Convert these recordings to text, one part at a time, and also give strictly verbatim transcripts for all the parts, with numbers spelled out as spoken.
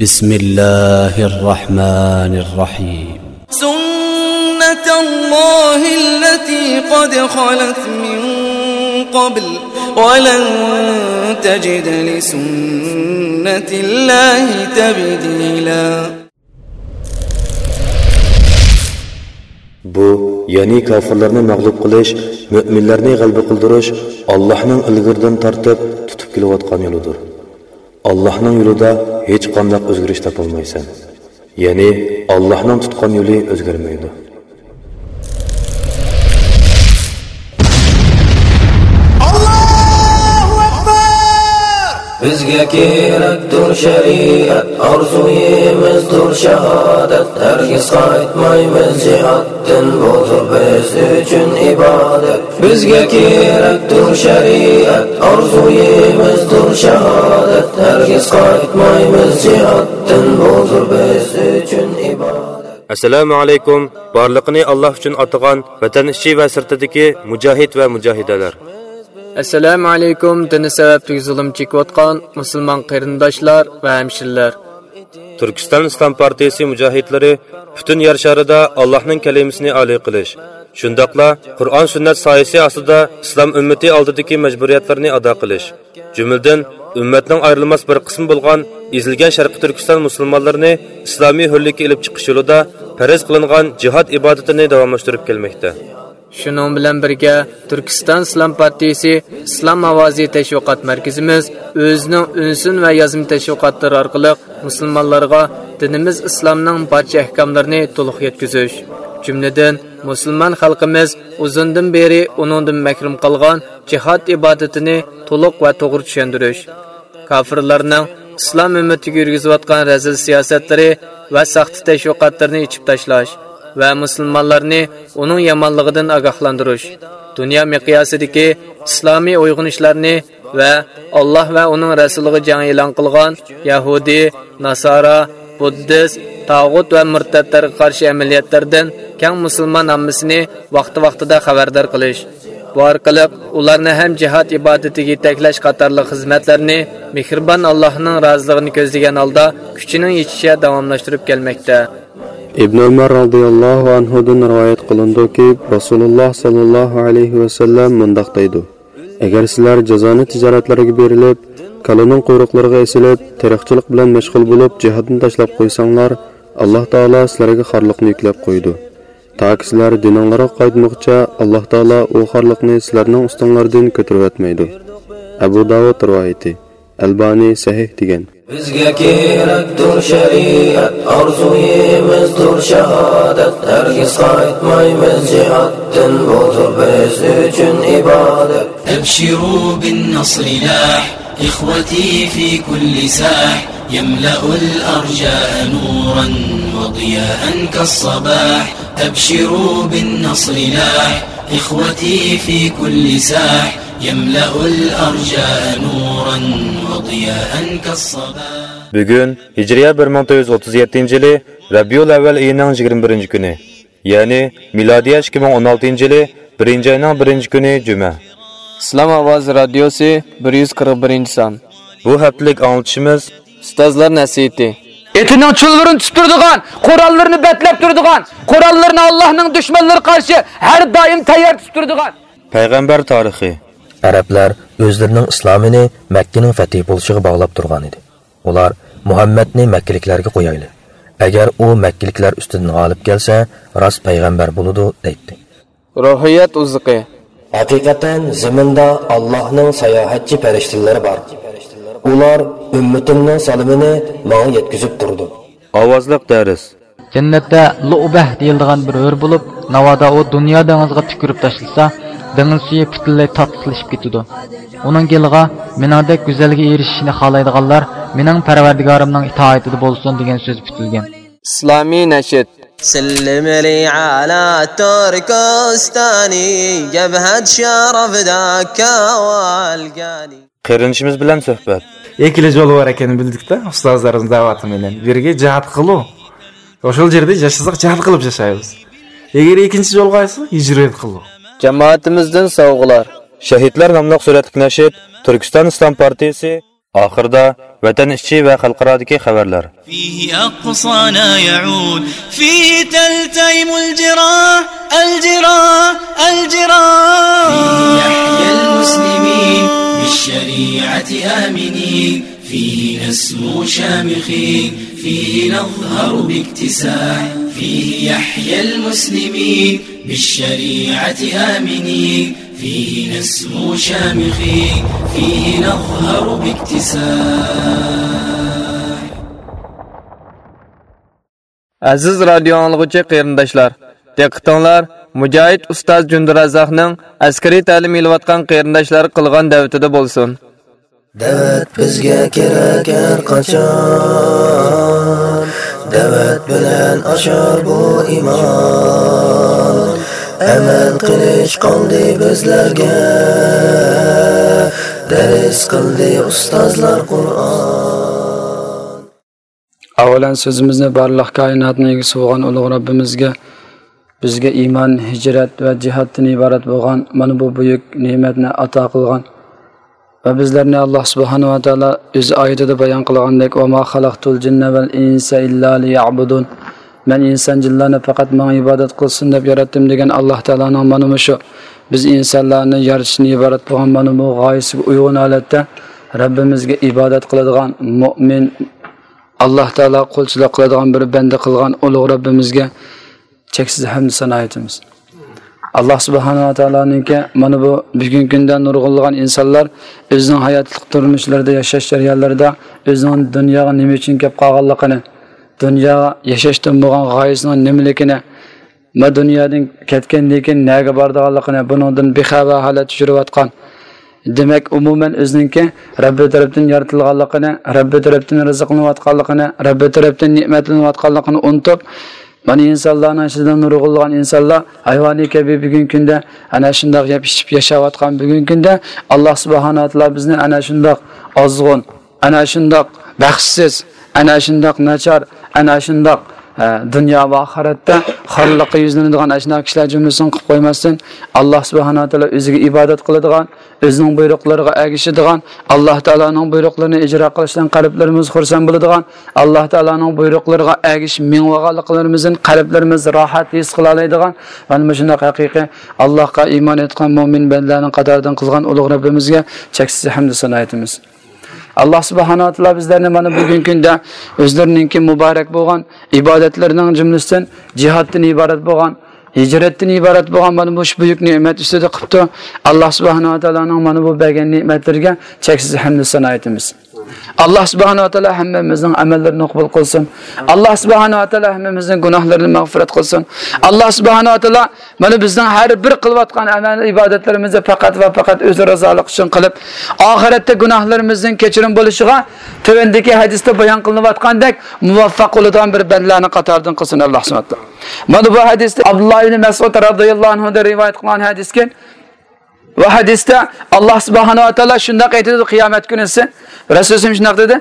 بسم الله الرحمن الرحيم. سنة الله التي قد خلت من قبل ولن تجد لسنة الله تبديلا. بۇ، يەنى كاپىرلارنى مەغلۇپ قىلىش، مۆمىنلەرنى غەلىبە قىلدۇرۇش ئاللاھنىڭ ئىلگىرىدىن تارتىپ تۇتۇپ كېلىۋاتقان يولىدۇر. ئاللاھنىڭ يولىدا ھېچقانداق ئۆزگىرىش تاپالمايسەن. يەنى ئاللاھنىڭ تۇتقان يولى ئۆزگەرمەيدۇ. ئاللاھۇ ئەكبەر! بىزگە كېرەكتۇر شەرىئەت، ئارزۇيىمىزدۇر شاھادەت، ھەرگىز قايتمايمىز جىھادتىن، بۇدۇر بىز ئۈچۈن ئىبادەت. بىزگە كېرەكتۇر شەرىئەت، ئارزۇيىمىزدۇر شاھادەت، ھەرگىز قايتمايمىز جىھادتىن، بۇدۇر بىز ئۈچۈن ئىبادەت. ئەسسالامۇ ئەلەيكۇم، بارلىقىنى ئاللاھ ئۈچۈن ئاتىغان ۋەتەن ئىچى ۋە سىرتىدىكى مۇجاھىد ۋە مۇجاھىدەلەر. ئەسسالامۇ ئەلەيكۇم، دىنى سەۋەبلىك زۇلۇم چېكىۋاتقان مۇسۇلمان قېرىنداشلار ۋە ھەمشىرىلەر. تۈركىستان ئىسلام پارتىيىسى مۇجاھىدلىرى پۈتۈن يەر شارىدا ئاللاھنىڭ كەلىمىسىنى ئالىي قىلىش، شۇنداقلا قۇرئان سۈننەت سايىسى ئاستىدا ئىسلام ئۈممىتى ئالدىدىكى مەجبۇرىيەتلەرنى ئادا قىلىش، جۈملىدىن ئۈممەتنىڭ ئايرىلماس بىر قىسمى بولغان ئېزىلگەن شەرقىي تۈركىستان مۇسۇلمانلىرىنى ئىسلامىي ھۆرلۈككە ئېلىپ چىقىش يولىدا پەرز قىلىنغان جىھاد ئىبادىتىنى داۋاملاشتۇرۇپ كەلمەكتە. شۇنىڭ بىلەن بىرگە، تۈركىستان ئىسلام پارتىيىسى ئىسلام ئاۋازى تەشۋىقات مەركىزىمىز ئۆزىنىڭ ئۈنسۇن ۋە يازما تەشۋىقاتلىرى ئارقىلىق مۇسۇلمانلارغا دىنىمىز ئىسلامنىڭ بارچە ئەھكاملىرىنى تولۇق يەتكۈزۈش، جۈملىدىن مۇسۇلمان خەلقىمىز ئۇزۇندىن بېرى ئۇنىڭدىن مەھرۇم قالغان جىھاد ئىبادىتىنى تولۇق ۋە توغرا چۈشەندۈرۈش، كاپىرلارنىڭ ئىسلام ئۈممىتىگە يۈرگۈزۈۋاتقان رەزىل سىياسەتلىرى ۋە ساختا تەشۋىقاتلىرىنى ئېچىپ تاشلاش ۋە مۇسۇلمانلارنى ئۇنىڭ يامانلىقىدىن ئاگاھلاندۇرۇش، دۇنيا مىقياسىدىكى ئىسلامىي ئويغىنىشلارنى ۋە ئاللاھ ۋە ئۇنىڭ رەسۇلىغا جەڭ ئېلان قىلغان يەھۇدىي، ناسارا، بۇددىست، تاغۇت ۋە مۇرتەتلەرگە قارشى ئەمەلىيەتلەردىن كەڭ مۇسۇلمان ئاممىسىنى ۋاقتى-ۋاقتىدا خەۋەردار قىلىش، بۇ ئارقىلىق ئۇلارنى ھەم جىھاد ئىبادىتىگە يېتەكلەش قاتارلىق خىزمەتلەرنى مېھرىبان ئاللاھنىڭ رازىلىقىنى كۆزلىگەن ھالدا كۈچىنىڭ يېتىشىچە داۋاملاشتۇرۇپ كەلمەكتە. ئىبن ئۆمەر رازىياللاھۇ ئەنھۇدىن رىۋايەت قىلىنىدۇكى، رەسۇلۇللاھ ساللاللاھۇ ئەلەيھى ۋەسەللەم مۇنداق دەيدۇ: «ئەگەر سىلەر جازانە تىجارەتلەرگە بېرىلىپ، كالىنىڭ قۇيرۇقلىرىغا ئېسىلىپ، تېرىقچىلىق بىلەن مەشغۇل بولۇپ، جىھادنى تاشلاپ قويساڭلار، ئاللاھ تائالا سىلەرگە خارلىقنى يۈكلەپ قويىدۇ. تاكى سىلەر دىنىڭلارغا قايتمىغۇچە، ئاللاھ تائالا ئۇ خارلىقنى سىلەرنىڭ ئۈستۈڭلاردىن كۆتۈرۈۋەتمەيدۇ.» ئەبۇ داۋۇد رىۋايىتى. ئەلبانى سەھىھ دېگەن. بىزگە كېرەكتۇر شەرىئەت، ئارزۇيىمىزدۇر شاھادەت، ھەرگىز قايتمايمىز جىھادتىن، بۇدۇر بىز ئۈچۈن ئىبادەت. أبشروا بالنصر لاح، إخوتي في كل ساح، يملأ الأرجاء نورا وضياء كالصباح. أبشروا بالنصر لاح، إخوتي في كل ساح، يملأ الأرجاء نورا وضياء كالصباح. بۈگۈن ھىجرىيە بىر مىڭ تۆت يۈز ئوتتۇز يەتتىنچى يىلى رەبىئۇل ئەۋۋەل ئېيىنىڭ يىگىرمە بىرىنچى كۈنى، يەنى مىلادىيە ئىككى مىڭ ئون ئالتىنچى يىلى بىرىنچى ئاينىڭ بىرىنچى كۈنى جۈمە. ئىسلام ئاۋازى رادىيوسى، بىر يۈز قىرىق بىرىنچى سان. بۇ ھەپتىلىك ئاڭلىتىشىمىز ئۇستازلار نەسىھىتى. ئېتىنىڭ چۇلۋۇرىنى تۇتۇپ تۇرىدىغان، قوراللىرىنى بەتلەپ تۇرىدىغان، قوراللىرىنى ئاللاھنىڭ دۈشمەنلىرىگە قارشى ھەر دائىم تەييار تۇتۇپ تۇرىدىغان. پەيغەمبەر تارىخى. ئەرەبلەر ئۆزلىرىنىڭ ئىسلامىنى مەككىنىڭ فەتھى بولۇشىغا باغلاپ تۇرغانىدى. ئۇلار مۇھەممەدنى مەككىلىكلەرگە قويايلى. ئەگەر ئۇ مەككىلىكلەر ئۈستىدىن غالىپ كەلسە، راست پەيغەمبەر بولىدۇ، دەيتتى. روھىيەت ئوزۇقى. ھەقىقەتەن زېمىندا ئاللاھنىڭ ساياھەتچى پەرىشتىلىرى بار. ئۇلار ئۈممىتىمنىڭ سالىمىنى ماڭا يەتكۈزۈپ تۇرىدۇ. ئاۋازلىق دەرس. جەننەتتە لۇئبەھ دېيىلىدىغان بىر ھۆر بولۇپ، ناۋادا ئۇ دۇنيا دېڭىزىغا تۈكۈرۈپ تاشلىسا، دېڭىز سۈيى پۈتۈنلەي تاتلىقلىشىپ كېتىدۇ. ئۇنىڭ گېلىغا، «مېنىڭدەك گۈزەلگە ئېرىشىشنى خالايدىغانلار مېنىڭ پەرۋەردىگارىمنىڭ ئىتائىتىدە بولسۇن» دېگەن سۆز پۈتۈلگەن. ئىسلامىي نەشىد. سلم لي على تركستاني، جبهة شرف ذاك والقاني. قېرىندىشىمىز بىلەن سۆھبەت. ئىككىلا يول بار ئىكەننى بىلدۇكتە، ئۇستازلىرىمىز دەۋاتىمەن، بىرىگە جىھاد قىلۇ. ئوشۇل يەردە ياشىساق جىھاد قىلىپ ياشايمىز. ئەگەر ئىككىنچى يولغا ئايسا ھىجرەت قىلۇ. جامائىتىمىزدىن سوۋغىلار. شەھىدلەر ناملىق سۈرەتلىك نەشىد، تۈركىستان ئىسلام پارتىيىسى. ئاخىرىدا ۋەتەن ئىچى ۋە خەلقئارادىكى خەۋەرلەر. فيه أقصانا يعود، فيه تلتئم الجراح، الجراح، الجراح. فيه يحيى المسلمين بالشريعة آمنين، فيه نسمو شامخين، فيه نظهر باكتساح، فيه يحيى المسلمين بالشريعة آمنين، فيه نسمو شامخين، فيه نظهر باكتساح. ئەزىز رادىيو ئاڭلىغۇچى قېرىنداشلار، دىققىتىڭلار مۇجاھىد ئۇستاز جۈندىرەززاقنىڭ ئەسكىرىي تەلىم ئېلىۋاتقان قېرىنداشلارغا قىلغان دەۋىتىدە بولسۇن. دەۋەت بىزگە كېرەك ھەر قاچان، دەۋەت بىلەن ئاشار بۇ ئىمان. ئەمەل قىلىش قالدى بىزلەرگە، دەرس قىلدى ئۇستازلار قۇرئان. ئاۋۋالەن سۆزىمىزنى بارلىق كائىناتنىڭ ئىگىسى بولغان ئۇلۇغ رەببىمىزگە، بىزگە ئىمان، ھىجرەت ۋە جىھادتىن ئىبارەت بولغان مانا بۇ بۈيۈك نېمەتنى ئاتا قىلغان ۋە بىزلەرنى، ئاللاھ سۇبھانەھۇ ۋە تائالا ئۆز ئايىتىدە بايان قىلغاندەك، «وما خلقت الجن والإنس إلا ليعبدون.» «مەن ئىنسان جىنلارنى پەقەت ماڭا ئىبادەت قىلسۇن دەپ ياراتتىم» دېگەن ئاللاھ تائالانىڭ مانا مۇشۇ بىز ئىنسانلارنى يارىتىشتىن ئىبارەت بولغان مانا بۇ غايىسىگە ئۇيغۇن ھالەتتە رەببىمىزگە ئىبادەت قىلىدىغان مۆمىن، ئاللاھ تائالا قۇلچىلىق قىلىدىغان بىر بەندە قىلغان ئۇلۇغ رەببىمىزگە چەكسىز ھەمدۇ سانا ئېيتىمىز. ئاللاھ سۇبھانەھۇ ۋە تائالانىڭكى مانا بۇ بۈگۈنكى كۈندە نۇرغۇنلىغان ئىنسانلار ئۆزىنىڭ ھاياتلىق تۇرمۇشلىرىدا، ياشاش جەريانلىرىدا ئۆزىنىڭ دۇنياغا نېمە ئۈچۈن كەپ قالغانلىقىنى، دۇنياغا ياشاشتىن بولغان غايىسىنىڭ نېمىلىكىنى، ما دۇنيادىن كەتكەندىن كېيىن نەگە بارىدىغانلىقىنى، بۇنىڭدىن بىخەۋەر ھالەتتە يۈرۈۋاتقان، دېمەك، ئومۇمەن ئۆزىنىڭكى رەببى تەرەپتىن يارىتىلغانلىقىنى، رەببى تەرەپتىن رىزىقلىنىۋاتقانلىقىنى، رەببى تەرەپتىن نېمەتلىنىۋاتقانلىقىنى ئۇنتۇپ، مانا ئىنسانلارنىڭ ئىچىدە نۇرغۇنلىغان ئىنسانلار ھايۋانىي كەبى بۈگۈنكى كۈندە ئەنە شۇنداق يەپ ئىچىپ ياشاۋاتقان بۈگۈنكى كۈندە ئاللاھ سۇبھانەھۇ ۋە تائالا بىزنى ئەنە شۇنداق ئازغۇن، ئەنە شۇنداق بەختسىز، ئەنە شۇنداق ناچار، ئەنە شۇنداق، ئە، دۇنيا ۋە ئاخىرەتتە خارلىققا يۈزلىنىدىغان ئەشۇنداق كىشىلەر جۈملىسىدىن قىلىپ قويماستىن، ئاللاھ سۇبھانەھۇ ۋە تائالا ئۆزىگە ئىبادەت قىلىدىغان، ئۆزىنىڭ بۇيرۇقلىرىغا ئەگىشىدىغان، ئاللاھ تائالانىڭ بۇيرۇقلىرىنى ئىجرا قىلىشتىن قەلبلىرىمىز خۇرسەن بولىدىغان، ئاللاھ تائالانىڭ بۇيرۇقلىرىغا ئەگىشىپ مېڭىۋالغانلىقلىرىمىزدىن قەلبلىرىمىز راھەت ھېس قىلالايدىغان، مانا مۇشۇنداق ھەقىقىي ئاللاھقا ئىمان ئېيتقان مۆمىن بەندىلەرنىڭ قاتارىدىن قىلغان ئۇلۇغ رەببىمىزگە چەكسىز ھەمدۇ سانا ئېيتىمىز. ئاللاھ سۇبھانەھۇ ۋە تائالا بىزلەرنى مانا بۈگۈنكى كۈندە ئۆزلىرىنىڭكى مۇبارەك بولغان ئىبادەتلىرىنىڭ جۈملىسىدىن جىھادتىن ئىبارەت بولغان، ھىجرەتتىن ئىبارەت بولغان مانا مۇشۇ بۈيۈك نېمەت ئۈستىدە قىپتۇ. ئاللاھ سۇبھانەھۇ ۋە تائالانىڭ مانا بۇ بەرگەن نېمەتلىرىگە چەكسىز ھەمدۇ سانا ئېيتىمىز. ئاللاھ سۇبھانەھۇ ۋە تائالا ھەممىمىزنىڭ ئەمەللىرىنى قوبۇل قىلسۇن. ئاللاھ سۇبھانەھۇ ۋە تائالا ھەممىمىزنىڭ گۇناھلىرىنى مەغپىرەت قىلسۇن. ئاللاھ سۇبھانەھۇ ۋە تائالا مانا بىزنىڭ ھەر بىر قىلىۋاتقان ئەمەل ئىبادەتلىرىمىزنى پەقەت ۋە پەقەت ئۆزى رىزالىقى ئۈچۈن قىلىپ، ئاخىرەتتە گۇناھلىرىمىزنىڭ كەچۈرۈم بولۇشىغا تۆۋەندىكى ھەدىستە بايان قىلىنىۋاتقاندەك مۇۋەپپەق بولىدىغان بىر بەندىلەرنىڭ قاتارىدىن قىلسۇن ئاللاھ سۇبھانەھۇ ۋە تائالا. مانا بۇ ھەدىستە ئابدۇللا ئىبنى مەسئۇد رازىياللاھۇ ئەنھۇدىن رىۋايەت قىلىنغان ھەدىسكەن، بۇ ھەدىستە ئاللاھ سۇبھانەھۇ ۋە تائالا شۇنداق ئېيتىدۇ، قىيامەت كۈنىسى رەسۇلىم شۇنداق دېدى،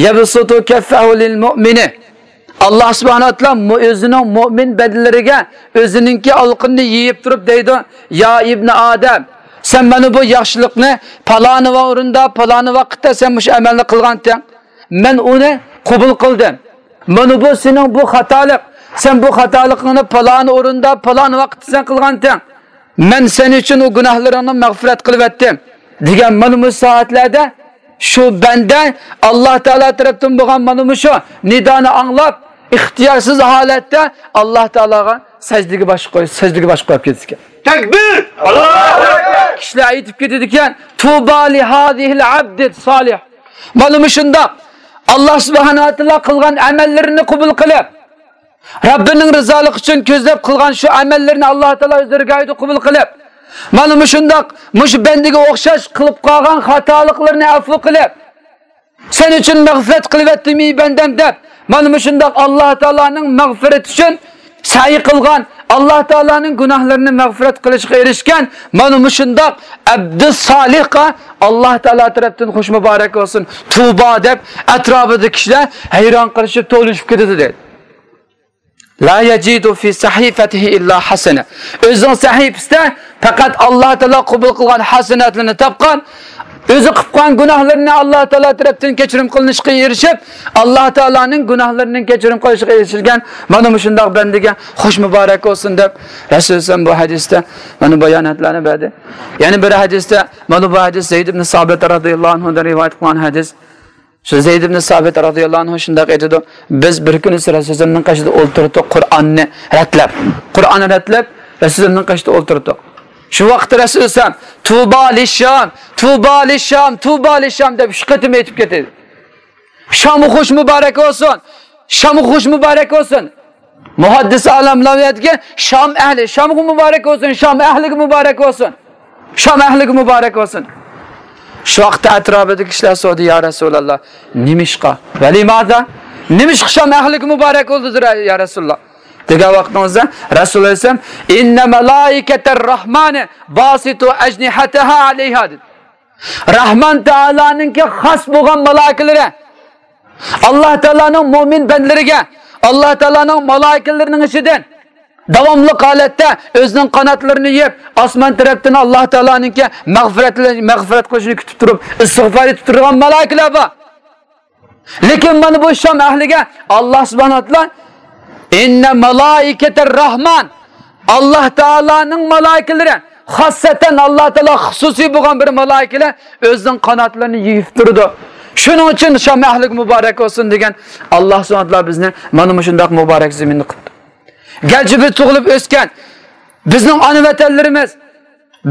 يەبسۇتۇ كەففەھۇ لىل مۇئمىنى. ئاللاھ سۇبھانەھۇ ۋە تائالا مۇ-، ئۆزىنىڭ مۆمىن بەندىلىرىگە ئۆزىنىڭكى ئالىقىنى يېيىپ تۇرۇپ دەيدۇ، يا ئىبنى ئادەم، سەن مانا بۇ ياخشىلىقنى پالانى ۋە ئورۇندا، پالانى ۋاقىتتا سەن مۇشۇ ئەمەلنى قىلغانتىڭ. مەن ئۇنى قوبۇل قىلدىم. مانا بۇ سېنىڭ بۇ خاتالىق. سەن بۇ خاتالىقىڭنى پالانى ئورۇندا، پالانى ۋاقىتتا سەن قىلغانتىڭ. مەن سەن ئۈچۈن ئۇ گۇناھلىرىڭنى مەغپىرەت قىلىۋەتتىم، دېگەن مانا مۇشۇ سائەتلەردە شۇ بەندە ئاللاھ تائالا تەرەپتىن بولغان مانا مۇشۇ نىدانى ئاڭلاپ، ئىختىيارسىز ھالەتتە ئاللاھ تائالاغا سەجدىگە باش قوي-، سەجدىگە باش قويۇپ كېتىدىكەن. تەكبىر! ئاللاھۇ ئەكبەر! كىشىلەر ئېيتىپ كېتىدىكەن، تۇبا لىھازىھىل ئەبدىس سالىھ. مانا مۇشۇنداق ئاللاھ سۇبھانەھۇ ۋە تائالا قىلغان ئەمەللىرىنى قوبۇل قىلىپ، رەببىنىڭ رىزالىقى ئۈچۈن كۆزلەپ قىلغان شۇ ئەمەللىرىنى ئاللاھ تائالا ئۆز دەرگاھىدا قوبۇل قىلىپ، مانا مۇشۇنداق مۇشۇ بەندىگە ئوخشاش قىلىپ قالغان خاتالىقلىرىنى ئەفۇ قىلىپ، سەن ئۈچۈن مەغپىرەت قىلىۋەتتىم ئى بەندەم دەپ، مانا مۇشۇنداق ئاللاھ تائالانىڭ مەغپىرىتى ئۈچۈن سەي قىلغان، ئاللاھ تائالانىڭ گۇناھلىرىنى مەغپىرەت قىلىشىغا ئېرىشكەن مانا مۇشۇنداق ئەبدۇس سالىھقا ئاللاھ تائالا تەرەپتىن خۇش مۇبارەك بولسۇن، تۇبا دەپ ئەتراپىدىكى كىشىلەر ھەيران قېلىشىپ تولۇشۇپ كېتىدۇ دەيدۇ. لا يجد في صحيفته إلا حسنة. ئۆزىنىڭ سەھىپىسىدە پەقەت ئاللاھ تائالا قوبۇل قىلغان ھەسەناتلىرىنى تاپقان، ئۆزى قىلغان گۇناھلىرىنى ئاللا تائالا تەرەپتىن كەچۈرۈم قىلىنىشقا ئېرىشىپ، ئاللا تائالانىڭ گۇناھلىرىنىڭ كەچۈرۈم قىلىنىشىغا ئېرىشىلگەن مانا مۇشۇنداق بەندىگە خوش مۇبارەك بولسۇن دەپ، رەسۇل ئەلەيھىسسالام بۇ ھەدىستە مانا باياناتلارنى بەردى. يەنە بىر ھەدىستە، مانا بۇ ھەدىس زەيد ئىبن سابىت رازىياللاھۇ ئەنھۇدىن رىۋايەت قىلغان ھەدىس. شۇ زەيد ئىبن سابىت رازىياللاھۇ ئەنھۇ شۇنداق ئېيتىدۇ: بىز بىر كۈنى رەسۇلىمنىڭ قېشىدا ئولتۇردۇق، قۇرئاننى رەتلەپ، قۇرئاننى رەتلەپ، رەسۇلىمنىڭ قېشىدا ئولتۇردۇق. شۇ ۋاقىتتا رەسۇلىسەم، تۇبا لىشام، تۇبا لىشام، تۇبا لىشام دەپ ئۈچ قېتىم ئېيتىپ كېتىدۇ. شامغا خوش مۇبارەك بولسۇن، شامغا خوش مۇبارەك بولسۇن. مۇھەددىس ئالىملار ئۇ يەردىكى شام ئەھلى، شامغا مۇبارەك بولسۇن، شام ئەھلىگە مۇبارەك بولسۇن. شام ئەھلىگە مۇبارەك بولسۇن. شۇ ۋاقىتتا ئەتراپىدىكى كىشىلەر سورىدى: يا رەسۇلەللا، نېمىشقا؟ ۋەلىمادا؟ نېمىشقا شام ئەھلىگە مۇبارەك بولدى يا رەسۇلاللا؟ دېگەن ۋاقتىڭىزدا رەسۇل ئەلەيھىسسالام: ئىننە مەلائىكەتەر رەھمانى باسىتۇ ئەجنىھەتەھا ئەلەيھا، دېدى. رەھمان تائالانىڭكى خاس بولغان مالايىكىلىرى، ئاللا تائالانىڭ مۆمىن بەندىلىرىگە، ئاللا تائالانىڭ مالايىكىلىرىنىڭ ئىچىدىن داۋاملىق ھالەتتە ئۆزىنىڭ قاناتلىرىنى يېيىپ، ئاسمان تەرەپتىن ئاللا تائالانىڭكى مەغپىرەت، مەغپىرەت قىلىشىنى كۈتۈپ تۇرۇپ، ئىستىغپار ئېيتىپ تۇرىدىغان مالايىكىلەر بار. لېكىن مانا بۇ شام ئەھلىگە ئاللا سۇبھانەھۇ ۋە تائالا، ئىننە مالائىكەتەر رەھمان، ئاللا تائالانىڭ مالايىكىلىرى، خاسسەتەن ئاللا تائالا خۇسۇسىي بولغان بىر مالايىكىلەر ئۆزىنىڭ قاناتلىرىنى يېيىپ تۇرىدۇ. شۇنىڭ ئۈچۈن شام ئەھلىگە مۇبارەك بولسۇن دېگەن، ئاللا سۇبھانەھۇ ۋە تائالا بىزنى مانا مۇشۇنداق مۇبارەك زېمىندا قىلدى. گەرچە بىز تۇغۇلۇپ ئۆسكەن، بىزنىڭ ئانا ۋەتەنلىرىمىز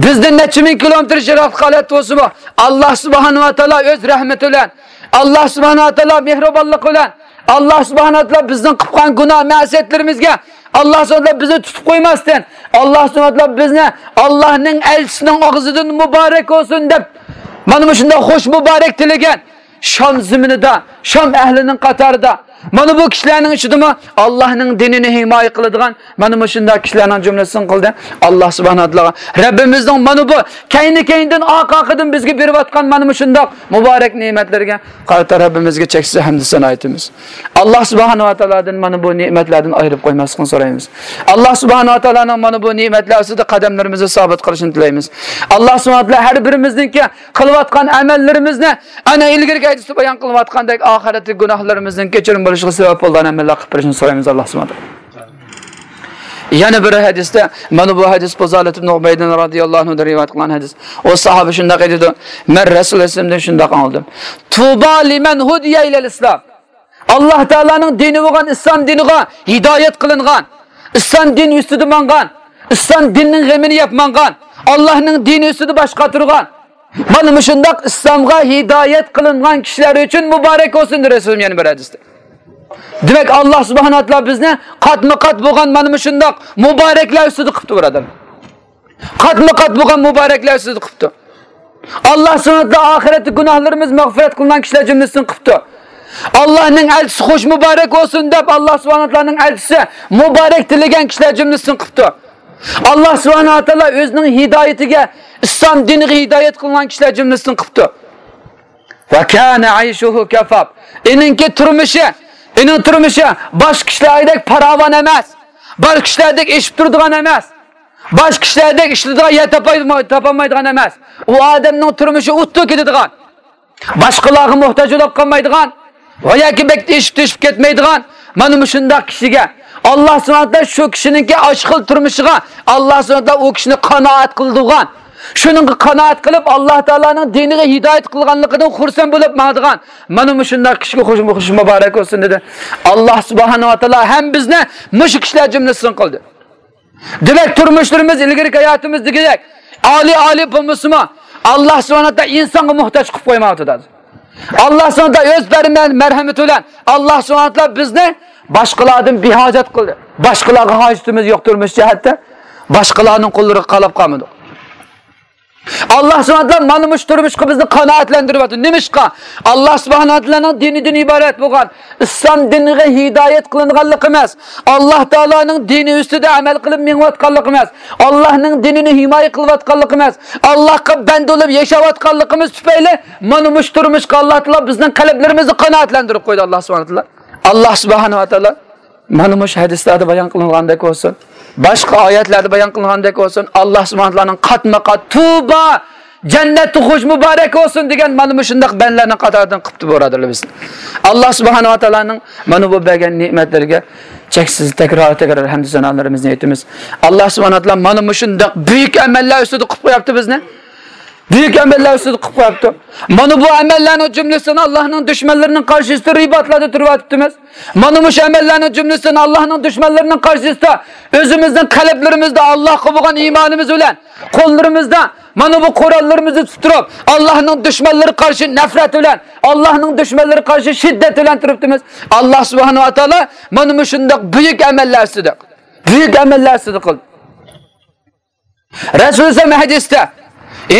بىزدىن نەچچە مىڭ كىلومېتىر يىراقلىق ھالەتتە بولسىمۇ، ئاللا سۇبھانەھۇ ۋە تائالا ئۆز رەھمىتى بىلەن، ئاللا سۇبھانەھۇ ۋە تائالا مېھرىبانلىقى بىلەن، ئاللا سۇبھانەھۇ ۋە تائالا بىزنىڭ قىلغان گۇناھ مەسىيەتلىرىمىزگە ئاللا سۇبھانەھۇ ۋە تائالا بىزنى تۇتۇپ قويماستىن، ئاللا سۇبھانەھۇ ۋە تائالا بىزنى ئاللانىڭ ئەلچىسىنىڭ ئاغزىدىن مۇبارەك بولسۇن دەپ، مانا مۇشۇنداق خوش مۇبارەك تىلىگەن شام زېمىنىدا، شام ئەھلىنىڭ قاتارىدا، مانا بۇ كىشىلەرنىڭ ئىچىدىمۇ ئاللانىڭ دىنىنى ھىمايە قىلىدىغان مانا مۇشۇنداق كىشىلەرنىڭ جۈملىسىنى قىلدى. ئاللا سۇبھانەھۇ ۋە تائالاغا، رەببىمىزنىڭ مانا بۇ كەينى-كەينىدىن، ئارقا-ئارقىدىن بىزگە بېرىۋاتقان مانا مۇشۇنداق مۇبارەك نېمەتلىرىگە قارىتا رەببىمىزگە چەكسىز ھەمدۇ سانا ئېيتىمىز. ئاللا سۇبھانەھۇ ۋە تائالادىن مانا بۇ نېمەتلەردىن ئايرىپ قويماسلىقىنى سورايمىز. ئاللا سۇبھانەھۇ ۋە تائالانىڭ مانا بۇ نېمەتلەر ئۈستىدە قەدەملىرىمىزنى سابىت قىلىشىنى تىلەيمىز. ئاللا سۇبھانەھۇ ۋە تائالا ھەر بىرىمىزنىڭكى قىلىۋاتقان ئەمەللىرىمىزنى ئەنە ئىلگىرىكى ھەدىستە بايان قىلىنغاندەك ئاخىرەتتىكى گۇناھلىرىمىزنىڭ كەچۈرۈم بولۇشىغا سەۋەب بولىدىغان ئەمەللەر قىلىپ بېرىشىنى سورايمىز ئاللا سۇبھانەھۇ ۋە تائالا. يەنە بىر ھەدىستە مانا بۇ ھەدىس پۇزالەت ئىبن ئۇبەيدىن رازىياللاھۇ ئەنھۇدىن رىۋايەت قىلغان ھەدىس. ئۇ ساھابە شۇنداق ئېيتىدۇ، مەن رەسۇل ئەلەيھىسسالامدىن شۇنداق ئاڭلىدىم. تۇبا لىمەن ھۇدىيە ئىلەل ئىسلام. ئاللا تائالانىڭ دىنى بولغان ئىسلام دىنىغا ھىدايەت قىلىنغان، ئىسلام دىنى ئۈستىدە ماڭغان، ئىسلام دىنىنىڭ غېمىنى يەپ ماڭغان، ئاللانىڭ دىنى ئۈستىدە باش قاتۇرغان، مانا مۇشۇنداق ئىسلامغا ھىدايەت قىلىنغان كىشىلەر ئۈچۈن مۇبارەك بولسۇن دېدى رەسۇلۇم يەنە بىر ھەدىستە. دېمەك، ئاللا سۇبھانەھۇ ۋە تائالا بىزنى قاتمۇ قات بولغان مانا مۇشۇنداق مۇبارەكلەر ئۈستىدە قىپتۇ، بۇرادەرلەر. قاتمۇ قات بولغان مۇبارەكلەر ئۈستىدە قىپتۇ. ئاللا سۇبھانەھۇ ۋە تائالا ئاخىرەتتە گۇناھلىرىمىز مەغپىرەت قىلىنغان كىشىلەر جۈملىسىدىن قىپتۇ. ئاللانىڭ ئەلچىسى خوش مۇبارەك بولسۇن دەپ، ئاللا سۇبھانەھۇ ۋە تائالانىڭ ئەلچىسى مۇبارەك تىلىگەن كىشىلەر جۈملىسىدىن قىپتۇ. ئاللا سۇبھانەھۇ ۋە تائالا ئۆزىنىڭ ھىدايىتىگە، ئىسلام دىنىغا ھىدايەت قىلغان كىشىلەر جۈملىسىدىن قىپتۇ. ۋە كانە ئەيشۇھۇ كەفاف. ئېنىڭكى تۇرمۇشى، ئېنىڭ تۇرمۇشى باشقا كىشىلەردەك پاراۋان ئەمەس، باشقا كىشىلەردەك ئېشىپ تۇرىدىغان ئەمەس، باشقا كىشىلەردەك ئىشلىتىدىغان يەر تاپاي-، تاپالمايدىغان ئەمەس. ئۇ ئادەمنىڭ تۇرمۇشى ئۇتۇق كېتىدىغان، باشقىلارغا موھتاج بولۇپ قالمايدىغان ۋە ياكى بەك ئېشىپ تېشىپ كەتمەيدىغان مانا مۇشۇنداق كىشىگە ئاللا سۇبھانەھۇ ۋە تائالا شۇ كىشىنىڭكى ئاشۇ خىل تۇرمۇشىغا ئاللا سۇبھانەھۇ ۋە تائالا ئۇ كىشىنى قانائەت قىلدۇرغان، شۇنىڭغا قانائەت قىلىپ، ئاللا تائالانىڭ دىنىغا ھىدايەت قىلغانلىقىدىن خۇرسەن بولۇپ ماڭىدىغان مانا مۇشۇنداق كىشىگە خوش، خوش مۇبارەك بولسۇن دېدى. ئاللا سۇبھانەھۇ ۋە تائالا ھەم بىزنى مۇشۇ كىشىلەر جۈملىسىدىن قىلدى. دېمەك، تۇرمۇشلىرىمىز ئىلگىرىكى ھاياتىمىزدىكىدەك ئالىي، ئالىي بولمىسىمۇ، ئاللا سۇبھانەھۇ ۋە تائالا ئىنسانغا موھتاج قىلىپ قويمايۋاتىدۇ. ئاللا سۇبھانەھۇ ۋە تائالا ئۆز بەرمە-، مەرھەمىتى بىلەن ئاللا سۇبھانەھۇ ۋە تائالا بىزنى باشقىلاردىن بىھاجەت قىلدى. باشقىلارغا ھاجىتىمىز يوق تۇرمۇش جەھەتتە. باشقىلارنىڭ قوللىرىغا قالاپ قالمىدۇق. ئاللا سۇبھانەھۇ ۋە تائالا مانا مۇشۇ تۇرمۇشقا بىزنى قانائەتلەندۈرۈۋاتىدۇ. نېمىشقا؟ ئاللا سۇبھانەھۇ ۋە تائالانىڭ دىنىدىن ئىبارەت بولغان ئىسلام دىنىغا ھىدايەت قىلىنغانلىقىمىز، ئاللا تائالانىڭ دىنى ئۈستىدە ئەمەل قىلىپ مېڭىۋاتقانلىقىمىز، ئاللانىڭ دىنىنى ھىمايە قىلىۋاتقانلىقىمىز، ئاللاغا بەندە بولۇپ ياشاۋاتقانلىقىمىز تۈپەيلى مانا مۇشۇ تۇرمۇشقا ئاللا تائالا بىزنىڭ قەلبلىرىمىزنى قانائەتلەندۈرۈپ قويدى ئاللا سۇبھانەھۇ ۋە تائالا. ئاللا سۇبھانەھۇ ۋە تائالا مانا مۇشۇ ھەدىسلەردە بايان قىلىنغاندەك بولسۇن، باشقا ئايەتلەردە بايان قىلىنغاندەك بولسۇن، ئاللا سۇبھانەھۇ ۋە تائالانىڭ قاتمۇ قات تۇبا جەننەتتە خۇش مۇبارەك بولسۇن دېگەن مانا مۇشۇنداق بەندىلەرنىڭ قاتارىدىن قىپتۇ، بۇرادەرلەر، بىزنى. ئاللا سۇبھانەھۇ ۋە تائالانىڭ مانا بۇ بەرگەن نېمەتلىرىگە چەكسىز تەكرار تەكرار ھەمدۇ سانالىرىمىزنى ئېيتىمىز. ئاللا سۇبھانەھۇ ۋە تائالا مانا مۇشۇنداق بۈيۈك ئەمەللەر ئۈستىدە قىلىپ قويۇپتۇ بىزنى. بۈيۈك ئەمەللەر ئۈستىدە قىلىپ قويۇپتۇ. مانا بۇ ئەمەللەرنىڭ جۈملىسىنى ئاللانىڭ دۈشمەنلىرىنىڭ قارشىسىدا رىباتلاردا تۇرۇۋاتىپتىمىز. مانا مۇشۇ ئەمەللەرنىڭ جۈملىسىنى ئاللانىڭ دۈشمەنلىرىنىڭ قارشىسىدا ئۆزىمىزنىڭ قەلبلىرىمىزدە ئاللاغا بولغان ئىمانىمىز بىلەن، قوللىرىمىزدا مانا بۇ قوراللىرىمىزنى تۇتۇپ تۇرۇپ، ئاللاھنىڭ دۈشمەنلىرى قارشى نەپرەت بىلەن، ئاللاھنىڭ دۈشمەنلىرى قارشى شىددەت بىلەن تۇرۇپتىمىز. ئاللا سۇبھانەھۇ ۋە تائالا مانا مۇشۇنداق بۈيۈك ئەمەللەر ئۈستىدە، بۈيۈك ئەمەللەر ئۈستىدە قىلدى. رەسۇل سەللەللاھۇ ئەلەيھى ۋەسەللەم ھەدىستە،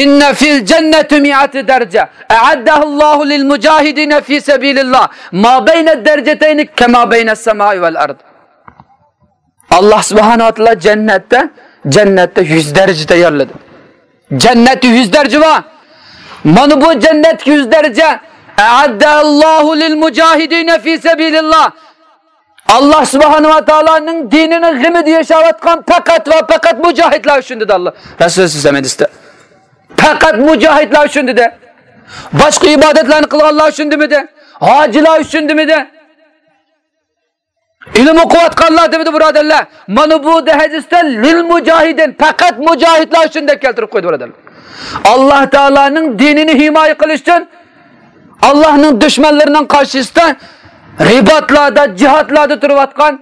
إن في الجنة مائة درجة أعدها الله للمجاهدين في سبيل الله ما بين الدرجتين كما بين السماء والأرض. ئاللا سۇبھانەھۇ ۋە تائالا جەننەتتە، جەننەتتە يۈز دەرىجە تەييارلىدى. جەننەتتە يۈز دەرىجە بار. مانا بۇ جەننەتتىكى يۈز دەرىجە، أعدها الله للمجاهدين في سبيل الله. ئاللا سۇبھانەھۇ ۋە تائالانىڭ دىنىنىڭ غېمىدە ياشاۋاتقان پەقەت ۋە پەقەت مۇجاھىدلار ئۈچۈن دېدى ئاللا. رەسۇل سەللەللاھۇ ئەلەيھى ۋەسەللەم ھەدىستە. پەقەت مۇجاھىدلار ئۈچۈن دېدى. باشقا ئىبادەتلەرنى قىلغانلار ئۈچۈن دېمىدى. ھاجىلار ئۈچۈن دېمىدى. ئىلىم ئوقۇۋاتقانلار دېمىدى، بۇرادەرلەر. مانا بۇ ھەدىستە لىل مۇجاھىدىن، پەقەت مۇجاھىدلار ئۈچۈن دەپ كەلتۈرۈپ قويدى، بۇرادەرلەر. ئاللا تائالانىڭ دىنىنى ھىمايە قىلىش ئۈچۈن ئاللاھنىڭ دۈشمەنلىرىنىڭ قارشىسىدا رىباتلاردا، جىھادلاردا تۇرۇۋاتقان،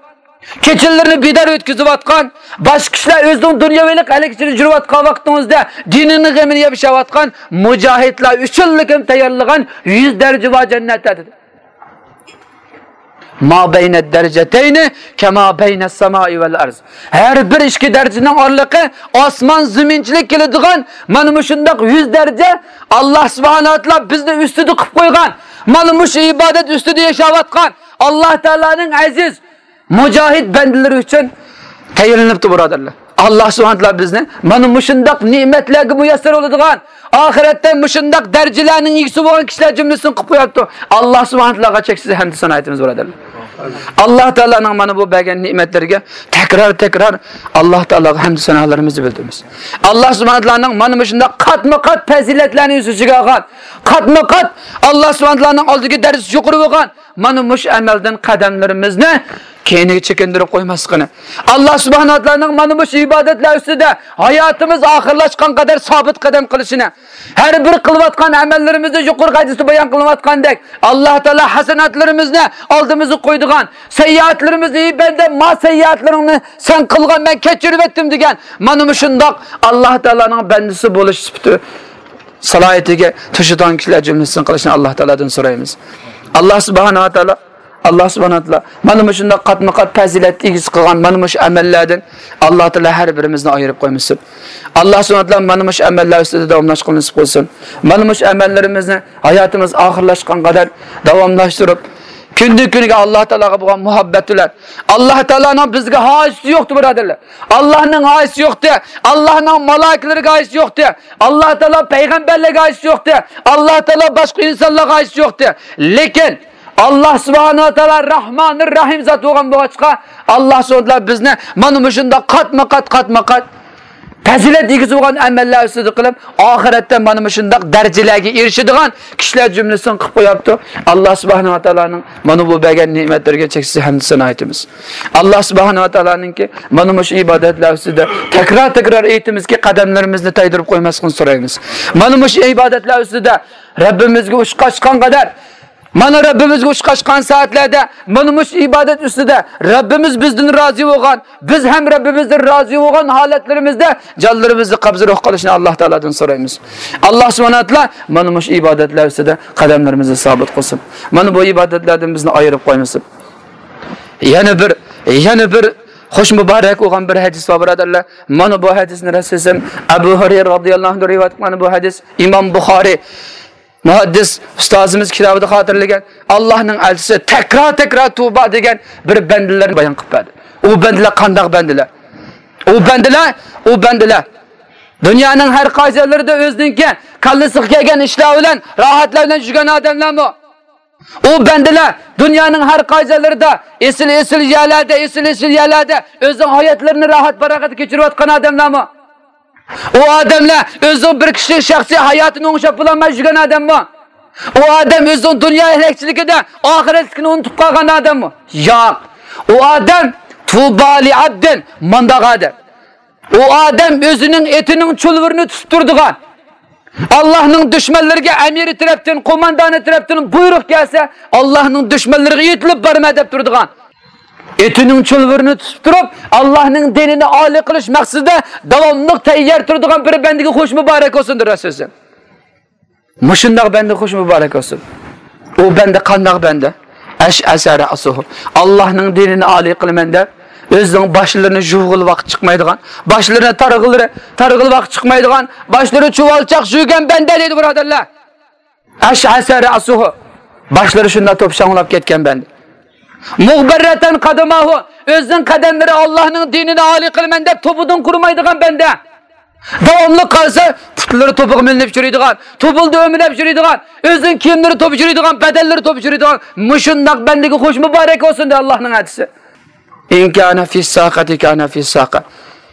كېچىلىرىنى بىدار ئۆتكۈزۈۋاتقان، باشقا كىشىلەر ئۆزىنىڭ دۇنياۋىلىق ھەلەك ئىچىدە يۈرۈۋاتقان ۋاقتىڭىزدا دىنىنىڭ غېمىنى يەپ ياشاۋاتقان مۇجاھىدلار ئۈچۈنلۈكۈن تەييارلىغان يۈز دەرىجە بار جەننەتتە دېدى. ما بين الدرجتين كما بين السماء والأرض. ھەر بىر ئىككى دەرىجىنىڭ ئارىلىقى ئاسمان زېمىنچىلىك كېلىدىغان مانا مۇشۇنداق يۈز دەرىجە ئاللا سۇبھانەھۇ ۋە تائالا بىزنى ئۈستىدە قىلىپ قويغان، مانا مۇشۇ ئىبادەت ئۈستىدە ياشاۋاتقان ئاللا تائالانىڭ ئەزىز مۇجاھىد بەندىلىرى ئۈچۈن تەييارلىنىپتۇ، بۇرادەرلەر. ئاللا سۇبھانەھۇ ۋە تائالا بىزنى مانا مۇشۇنداق نېمەتلەرگە مۇيەسسەر بولىدىغان، ئاخىرەتتە مۇشۇنداق دەرىجىلەرنىڭ ئىگىسى بولغان كىشىلەر جۈملىسىدىن قىلىپ قويۇپتۇ. ئاللا سۇبھانەھۇ ۋە تائالاغا چەكسىز ھەمدۇ سانا ئېيتىمىز، بۇرادەرلەر. ئاللا تائالانىڭ مانا بۇ بەرگەن نېمەتلىرىگە تەكرار تەكرار ئاللا تائالاغا ھەمدۇ سانالىرىمىزنى بىلدۈرىمىز. ئاللا سۇبھانەھۇ ۋە تائالانىڭ مانا مۇشۇنداق قاتمۇ قات پەزىلەتلەرنى ئۆز ئىچىگە ئالغان، قاتمۇ قات ئاللا سۇبھانەھۇ ۋە تائالانىڭ ئالدىدىكى دەرىجىسى يۇقىرى بولغان مانا مۇشۇ ئەمەلدىن قەدەملىرىمىزنى كەينىگە چېكىندۈرۈپ قويماسلىقىنى، ئاللا سۇبھانەھۇ ۋە تائالانىڭ مانا مۇشۇ ئىبادەتلەر ئۈستىدە ھاياتىمىز ئاخىرلاشقان قەدەر سابىت قەدەم قىلىشىنى، ھەر بىر قىلىۋاتقان ئەمەللىرىمىزنى يۇقىرىقى ھەدىستە بايان قىلىنىۋاتقاندەك، ئاللا تائالا ھەسەناتلىرىمىزنى ئالدىمىزغا قويىدىغان، سەييئاتلىرىمىزنى، ئى بەندە، ما سەييئاتلىرىڭنى سەن قىلغان، مەن كەچۈرۈۋەتتىم دېگەن مانا مۇشۇنداق ئاللا تائالانىڭ بەندىسى بولۇش سۈپىتى سالاھىيىتىگە توشىدىغان كىشىلەر جۈملىسىدىن قىلىشنى ئاللا تائالادىن سورايمىز. ئاللا سۇبھانەھۇ ۋە تائالا، ئاللا سۇبھانەھۇ ۋە تائالا مانا مۇشۇنداق قاتمۇ قات پەزىلەت ئىگىسى قىلغان مانا مۇشۇ ئەمەللەردىن ئاللا تائالا ھەر بىرىمىزنى ئايرىپ قويمىسۇن. ئاللا سۇبھانەھۇ ۋە تائالا مانا مۇشۇ ئەمەللەر ئۈستىدە داۋاملاشقىلى نېسىپ قىلسۇن. مانا مۇشۇ ئەمەللىرىمىزنى ھاياتىمىز ئاخىرلاشقان قەدەر داۋاملاشتۇرۇپ، كۈندىن كۈنگە ئاللا تائالاغا بولغان مۇھەببەت بىلەن، ئاللا تائالانىڭ بىزگە ھاجىتى يوقتى، بۇرادەرلەر. ئاللانىڭ ھاجىتى يوقتى، ئاللانىڭ مالايىكىلىرىگە ھاجىتى يوقتى، ئاللا تائالا پەيغەمبەرلەرگە ھاجىتى يوقتى، ئاللا تائالا باشقا ئىنسانلارغا ھاجىتى يوقتى. لېكىن ئاللا سۇبھانەھۇ ۋە تائالا رەھمانىر رەھىم زات بولغان بولغاچقا، ئاللا سۇبھانەھۇ ۋە تائالا بىزنى مانا مۇشۇنداق قاتمۇ قات، قاتمۇ قات پەزىلەت ئىگىسى بولغان ئەمەللەر ئۈستىدە قىلىپ، ئاخىرەتتە مانا مۇشۇنداق دەرىجىلەرگە ئېرىشىدىغان كىشىلەر جۈملىسىدىن قىلىپ قويۇپتۇ. ئاللا سۇبھانەھۇ ۋە تائالانىڭ مانا بۇ بەرگەن نېمەتلىرىگە چەكسىز ھەمدۇ سانا ئېيتىمىز. ئاللا سۇبھانەھۇ ۋە تائالانىڭكى مانا مۇشۇ ئىبادەتلەر ئۈستىدە تەكرار تەكرار ئېيتىمىزكى، قەدەملىرىمىزنى تايدۇرۇپ قويماسلىقىنى سورايمىز. مانا مۇشۇ ئىبادەتلەر ئۈستىدە رەببىمىزگە ئۇچقاچقان قەدەر، مانا رەببىمىزگە ئۇچقاچقان سائەتلەردە مانا مۇشۇ ئىبادەت ئۈستىدە رەببىمىز بىزدىن رازى بولغان، بىز ھەم رەببىمىزدىن رازى بولغان ھالەتلىرىمىزدە جانلىرىمىزنى قەبزى روھ قىلىشنى ئاللا تائالادىن سورايمىز. ئاللا سۇبھانەھۇ ۋە تائالا مانا مۇشۇ ئىبادەتلەر ئۈستىدە قەدەملىرىمىزنى سابىت قىلسۇن. مانا بۇ ئىبادەتلەردىن بىزنى ئايرىپ قويمىسۇن. يەنە بىر، يەنە بىر خۇش مۇبارەك بولغان بىر ھەدىس بار، بۇرادەرلەر. مانا بۇ ھەدىسنى رەسۇلىم ئەبۇ ھۇرەيرە رازىياللاھۇ ئەنھۇ رىۋايەت قىلغان بۇ ھەدىس ئىمام بۇخارىي مۇھەددىس ئۇستازىمىز كىتابىدا خاتىرىلىگەن، ئاللانىڭ ئەلچىسى تەكرار تەكرار تۇۋبا دېگەن بىر بەندىلەرنى بايان قىلىپ بەردى. ئۇ بەندىلەر قانداق بەندىلەر؟ ئۇ بەندىلەر، ئۇ بەندىلەر دۇنيانىڭ ھەر قايسى يەرلىرىدە ئۆزىنىڭكى كاللىسىغا كەلگەن ئىشلار بىلەن، راھەتلەر بىلەن يۈرگەن ئادەملەرمۇ؟ ئۇ بەندىلەر دۇنيانىڭ ھەر قايسى يەرلىرىدە ئېسىل، ئېسىل يەرلەردە، ئېسىل، ئېسىل يەرلەردە ئۆزىنىڭ ھاياتلىرىنى راھەت پاراغەتتە كەچۈرۈۋاتقان ئادەملەرمۇ؟ ئۇ ئادەملەر ئۆزىنىڭ بىر كىشىلىك شەخسىي ھاياتىنى ئوڭشاپ بولالماي يۈرگەن ئادەممۇ؟ ئۇ ئادەم ئۆزىنىڭ دۇنيا ھەلەكچىلىكىدە ئاخىرەتلىكىنى ئۇنتۇپ قالغان ئادەممۇ؟ ياق. ئۇ ئادەم، تۇبا لىئەبدىن، مانداق ئادەم. ئۇ ئادەم ئۆزىنىڭ ئېتىنىڭ چۇلۋۇرىنى تۇتۇپ تۇرىدىغان، ئاللاھنىڭ دۈشمەنلىرىگە ئەمىرى تەرەپتىن، قوماندانى تەرەپتىن بۇيرۇق كەلسە، ئاللاھنىڭ دۈشمەنلىرىگە يېتىلىپ بارىمەن دەپ تۇرىدىغان، ئېتىنىڭ چۇلۋۇرىنى تۇتۇپ تۇرۇپ، ئاللاھنىڭ دىنىنى ئالىي قىلىش مەقسىتىدە داۋاملىق تەييار تۇرىدىغان بىر بەندىگە خوش مۇبارەك بولسۇن، دەپ سۆزلىدى. مۇشۇنداق بەندە خوش مۇبارەك بولسۇن. ئۇ بەندە قانداق بەندە؟ ئەشئەسە رەئسۇھۇ. ئاللاھنىڭ دىنىنى ئالىي قىلىمەن دەپ، ئۆزىنىڭ باشلىرىنى يۇغىلى ۋاقىت چىقمايدىغان، باشلىرىنى تارغىلى، تارغىلى ۋاقىت چىقمايدىغان، باشلىرى چۇۋالچاق يۈرگەن بەندە دەيدۇ، بۇرادەرلەر. ئەشئەسە رەئسۇھۇ. باشلىرى شۇنداق توپشاڭلاپ كەتكەن بەندە. مۇغبەررەتەن قەدەماھۇ. ئۆزىنىڭ قەدەملىرى ئاللاھنىڭ دىنىنى ئالىي قىلىمەن دەپ توپىدىن قۇرۇمايدىغان بەندە. داۋاملىق قالسا، پۇتلىرى توپىغا مىلىنىپ يۈرىدىغان، توپىلدا ئۆمىلەپ يۈرىدىغان، ئۆزىنىڭ كىيىملىرى توپۇپ يۈرىدىغان، بەدەنلىرى توپۇپ يۈرىدىغان، مۇشۇنداق بەندىگە خوش مۇبارەك بولسۇن، دەپ ئاللاھنىڭ ئەلچىسى. ئىن كانە فىسساقەتى كانە فىسساقە.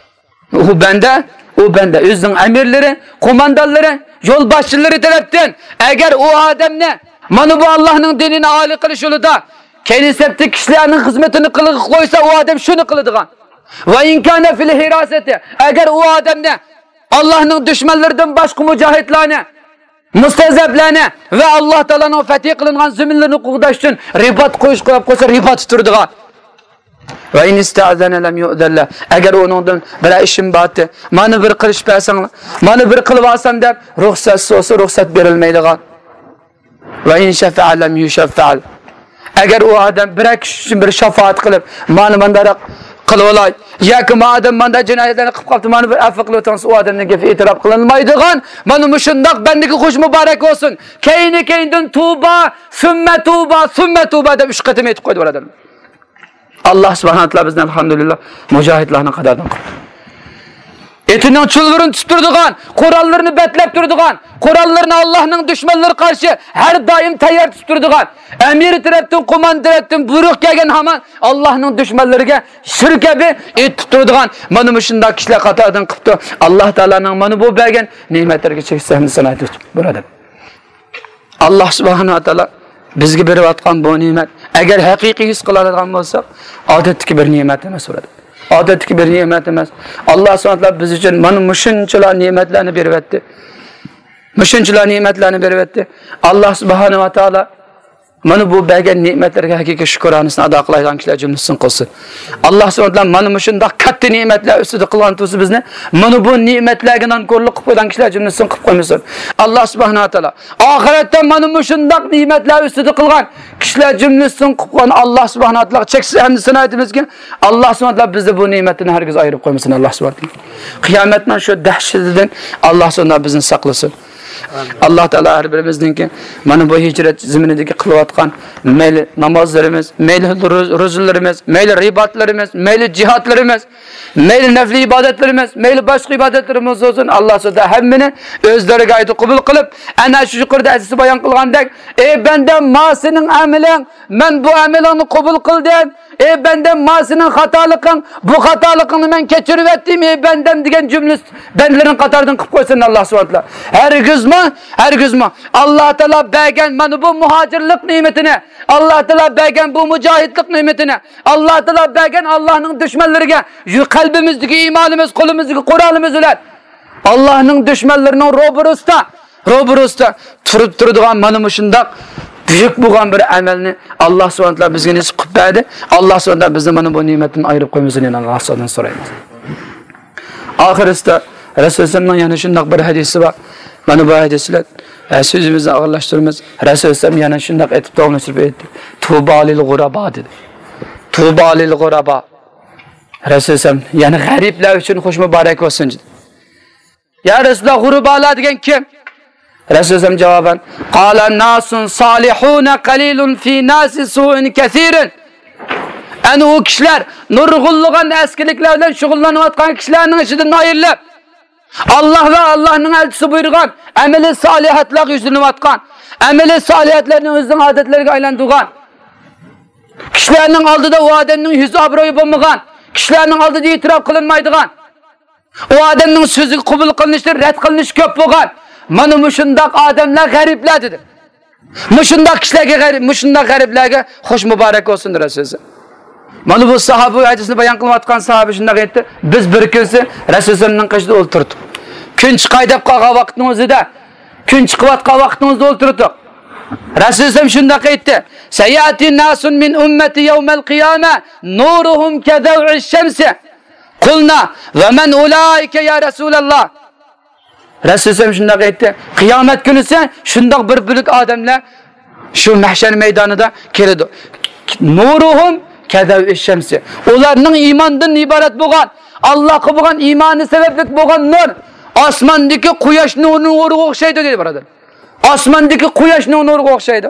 ئۇ بەندە، ئۇ بەندە ئۆزىنىڭ ئەمىرلىرى، قوماندانلىرى، يولباشچىلىرى تەرەپتىن، ئەگەر ئۇ ئادەمنى مانا بۇ ئاللاھنىڭ دىنىنى ئالىي قىلىش يولىدا كەينى سەپتىكى كىشىلەرنىڭ خىزمىتىنى قىلغا قويسا، ئۇ ئادەم شۇنى قىلىدىغان. ۋە ئىن كانە فىل ھىراسەتى، ئەگەر ئۇ ئادەمنى ئاللاھنىڭ دۈشمەنلىرىدىن باشقا مۇجاھىدلارنى، مۇستەزەپلەرنى ۋە ئاللاھ تائالانىڭ فەتھى قىلىنغان زېمىنلىرىنى قوغداش ئۈچۈن رىبات قويۇش قىلىپ قويسا، رىباتتا تۇرىدىغان. ۋە ئىن ئىستەئزەنە لەم يۇئزەن لەھ. ئەگەر ئۇنىڭدىن بىرەر ئىشىم بارتى، مانا بىر قىلىش بەرسەڭلار، مانا بىر قىلىۋالسام دەپ رۇخسەت سورىسا، رۇخسەت بېرىلمەيدىغان. ۋە ئىن شەفەئە لەم يۇشەففەئ. ئەگەر ئۇ ئادەم بىرەر كىشى ئۈچۈن بىر شاپائەت قىلىپ، مانا مانداق قىلىۋالاي، ياكى ما ئادەم مانداق جىنايەتلەرنى قىلىپ قاپتۇ، مانا بىر ئەفۇ قىلىۋېتىڭ، ئۇ ئادەمنىڭ گېپى ئېتىراپ قىلىنمايدىغان، مانا مۇشۇنداق بەندىگە خوش مۇبارەك بولسۇن. كەينى كەينىدىن تۇبا، سۈممە تۇبا، سۈممە تۇبا دەپ ئۈچ قېتىم ئېيتىپ قويدى، بۇرادەرلەر. ئاللاھ سۇبھانەھۇ ۋە تائالا بىزنى، ئەلھەمدۇلىللاھ، مۇجاھىدلارنىڭ قاتارىدىن قىلدى. ئېتىنىڭ چۇلۋۇرىنى تۇتۇپ تۇرىدىغان، قوراللىرىنى بەتلەپ تۇرىدىغان، قوراللىرىنى ئاللاھنىڭ دۈشمەنلىرى قارشى ھەر دائىم تەييار تۇتۇپ تۇرىدىغان، ئەمىرى تەرەپتىن، قوماندان تەرەپتىن بۇيرۇق كەلگەن ھامان ئاللاھنىڭ دۈشمەنلىرىگە شىر كەبى ئېتىپ تۇرىدىغان، مانا مۇشۇنداق كىشىلەر قاتارىدىن قىپتۇ. ئاللاھ تائالانىڭ مانا بۇ بەرگەن نېمەتلىرىگە چەكسىز ھەمدۇ سانا ئېيتىمىز، بۇرادەر. ئاللاھ سۇبھانەھۇ ۋە تائالا بىزگە بېرىۋاتقان بۇ نېمەت، ئەگەر ھەقىقىي ھېس قىلالىغان بولساق، ئادەتتىكى بىر نېمەت ئەمەس، بۇرادەر. ئادەتتىكى بىر نېمەت ئەمەس. ئاللاھ سۇبھانەھۇ ۋە تائالا بىز ئۈچۈن مانا مۇشۇنچىلا نېمەتلەرنى بېرىۋەتتى. مۇشۇنچىلا نېمەتلەرنى بېرىۋەتتى. ئاللاھ سۇبھانەھۇ ۋە تائالا مانا بۇ بەرگەن نېمەتلەرگە ھەقىقىي شۈكرانىسىنى ئادا قىلايدىغان كىشىلەر جۈملىسىدىن قىلسۇن. ئاللاھ سۇبھانەھۇ ۋە تائالا مانا مۇشۇنداق كاتتا نېمەتلەر ئۈستىدە قىلغان تۇرسا بىزنى، مانا بۇ نېمەتلەرگە نانكورلۇق قىلىپ قويغان كىشىلەر جۈملىسىدىن قىلىپ قويمىسۇن. ئاللاھ سۇبھانەھۇ ۋە تائالا ئاخىرەتتە مانا مۇشۇنداق نېمەتلەر ئۈستىدە قىلغان كىشىلەر جۈملىسىدىن قىلىپ قويغان ئاللاھ سۇبھانەھۇ ۋە تائالاغا چەكسىز ھەمدۇ سانا ئېيتىمىزكى، ئاللاھ سۇبھانەھۇ ۋە تائالا بىزنى بۇ نېمەتتىن ھەرگىز ئايرىپ قويمىسۇن، ئاللاھ سۇبھانەھۇ ۋە تائالا. قىيامەتنىڭ شۇ دەھشىتىدىن ئاللاھ سۇبھانەھۇ ۋە تائالا بىزنى ساقلىسۇن. ئاللاھ تائالا ھەر بىرىمىزنىڭكى مانا بۇ ھىجرەت زېمىنىدىكى قىلىۋاتقان مەيلى نامازلىرىمىز، مەيلى روز-، روزىلىرىمىز، مەيلى رىباتلىرىمىز، مەيلى جىھادلىرىمىز، مەيلى نەپلى ئىبادەتلىرىمىز، مەيلى باشقا ئىبادەتلىرىمىز بولسۇن، ئاللاھ سۇبھانەھۇ ۋە تائالا ھەممىنى ئۆز دەرگاھىدا قوبۇل قىلىپ، ئەنە شۇ يۇقىرىدا ھەدىستە بايان قىلغاندەك، ئى بەندەم، ما سېنىڭ ئەمىلىڭ، مەن بۇ ئەمىلىڭنى قوبۇل قىلدىم. ئى بەندەم، ما سېنىڭ خاتالىقىڭ، بۇ خاتالىقىڭنى مەن كەچۈرۈۋەتتىم، ئى بەندەم، دېگەن جۈملە بەندىلىرىنىڭ قاتارىدىن قىلىپ قويسۇن ئاللاھ سۇبھانەھۇ ۋە تائالا. ھەرگىزمۇ، ھەرگىزمۇ ئاللاھ تائالا بەرگەن مانا بۇ مۇھاجىرلىق نېمىتىنى، ئاللاھ تائالا بەرگەن بۇ مۇجاھىدلىق نېمىتىنى، ئاللاھ تائالا بەرگەن ئاللاھنىڭ دۈشمەنلىرىگە يۈ-، قەلبىمىزدىكى ئىمانىمىز، قولىمىزدىكى قورالىمىز بىلەن ئاللاھنىڭ دۈشمەنلىرىنىڭ روبىرۇسىدا، روبىرۇسىدا تۇرۇپ تۇرىدىغان مانا مۇشۇنداق بۈيۈك بولغان بىر ئەمەلنى ئاللاھ سۇبھانەھۇ ۋە تائالا بىزگە نېسىپ قىلىپ بەردى. ئاللاھ سۇبھانەھۇ ۋە تائالا بىزنى مانا بۇ نېمەتتىن ئايرىپ قويمىسۇن، يەنە ئاللاھ سۇبھانەھۇ ۋە تائالادىن سورايمىز. ئاخىرىسىدا رەسۇل ئەلەيھىسسالامنىڭ يەنە شۇنداق بىر ھەدىسى بار. مانا بۇ ھەدىس بىلەن، ئە، سۆزىمىزنى ئاخىرلاشتۇرىمىز. رەسۇل ئەلەيھىسسالام يەنە شۇنداق ئېيتىپ، داۋاملاشتۇرۇپ ئېيتتى. تۇبا لىل غۇرابا دېدى. تۇبا لىل غۇرابا. رەسۇل ئەلەيھىسسالام يەنە غەرىبلەر ئۈچۈن خوش مۇبارەك بولسۇن دېدى. يا رەسۇلاللاھ، غۇربالار دېگەن كىم؟ رەسۇل ئەلەيھىسسالام جاۋابەن، قال ناسٌ صالحون قليل في ناس سوء كثير. ئەنە ئۇ كىشىلەر نۇرغۇنلىغان ئەسكىلىكلەر بىلەن شۇغۇللىنىۋاتقان كىشىلەرنىڭ ئىچىدىن ئايرىلىپ، ئاللاھ ۋە ئاللاھنىڭ ئەلچىسى بۇيرۇغان ئەمەلى سالىھاتلارغا يۈزلىنىۋاتقان، ئەمەلى سالىھاتلارنى ئۆزىنىڭ ئادەتلىرىگە ئايلاندۇرغان، كىشىلەرنىڭ ئالدىدا ئۇ ئادەمنىڭ يۈز ئابرۇيى بولمىغان، كىشىلەرنىڭ ئالدىدا ئېتىراپ قىلىنمايدىغان، ئۇ ئادەمنىڭ سۆزىگە قوبۇل قىلىنىشى، رەت قىلىنىشى كۆپ بولغان. مانا مۇشۇنداق ئادەملەر غەرىبلەر دېدى. مۇشۇنداق كىشىلەرگە غەرىب، مۇشۇنداق غەرىبلەرگە خوش مۇبارەك بولسۇن دېدى رەسۇلۇللاھ. مانا بۇ ساھابە، ھەدىسنى بايان قىلىۋاتقان ساھابە شۇنداق ئېيتتى: بىز بىر كۈنسى رەسۇلۇللاھنىڭ قېشىدا ئولتۇردۇق. كۈن چىقاي دەپ قالغان ۋاقىتنىڭ ئۆزىدە، كۈن چىقىۋاتقان ۋاقىتنىڭ ئۆزىدە ئولتۇردۇق. رەسۇلۇللاھ شۇنداق ئېيتتى: سيأتي ناس من أمتي يوم القيامة نورهم كضوء الشمس. قلنا: ومن أولئك يا رسول الله؟ رەسۇلۇللاھ شۇنداق ئېيتتى: قىيامەت كۈنىسى شۇنداق بىر بۆلەك ئادەملەر شۇ مەھشەر مەيدانىدا كېلىدۇ. نورهم كضوء الشمس. ئۇلارنىڭ ئىماندىن ئىبارەت بولغان، ئاللاھقا بولغان ئىمانى سەۋەبلىك بولغان نۇر ئاسماندىكى قۇياش نۇرىغا ئوخشايدۇ دېدى، بۇرادەر. ئاسماندىكى قۇياشنىڭ نۇرىغا ئوخشايدۇ.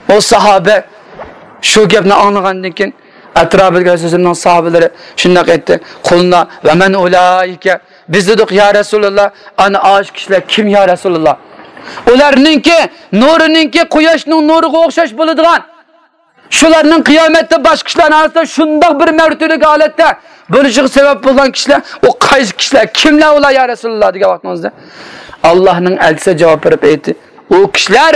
ئۇ ساھابە شۇ گەپنى ئاڭلىغاندىن كېيىن، ئەتراپىدىكى رەسۇلۇللاھنىڭ ساھابىلىرى شۇنداق ئېيتتى: قلنا: ومن أولئك؟ بىز دېدۇق: يا رەسۇلۇللاھ، ئانا ئاشۇ كىشىلەر كىم يا رەسۇلۇللاھ؟ ئۇلارنىڭكى نۇرىنىڭكى قۇياشنىڭ نۇرىغا ئوخشاش بولىدىغان، شۇلارنىڭ قىيامەتتە باشقا كىشىلەرنىڭ ئارىسىدا شۇنداق بىر مەرتىۋىلىك ھالەتتە بولۇشىغا سەۋەب بولغان كىشىلەر، ئۇ قايسى كىشىلەر، كىملەر ئۇلار يا رەسۇلۇللاھ دېگەن ۋاقتىڭىزدا، ئاللاھنىڭ ئەلچىسى جاۋاب بېرىپ ئېيتتى: ئۇ كىشىلەر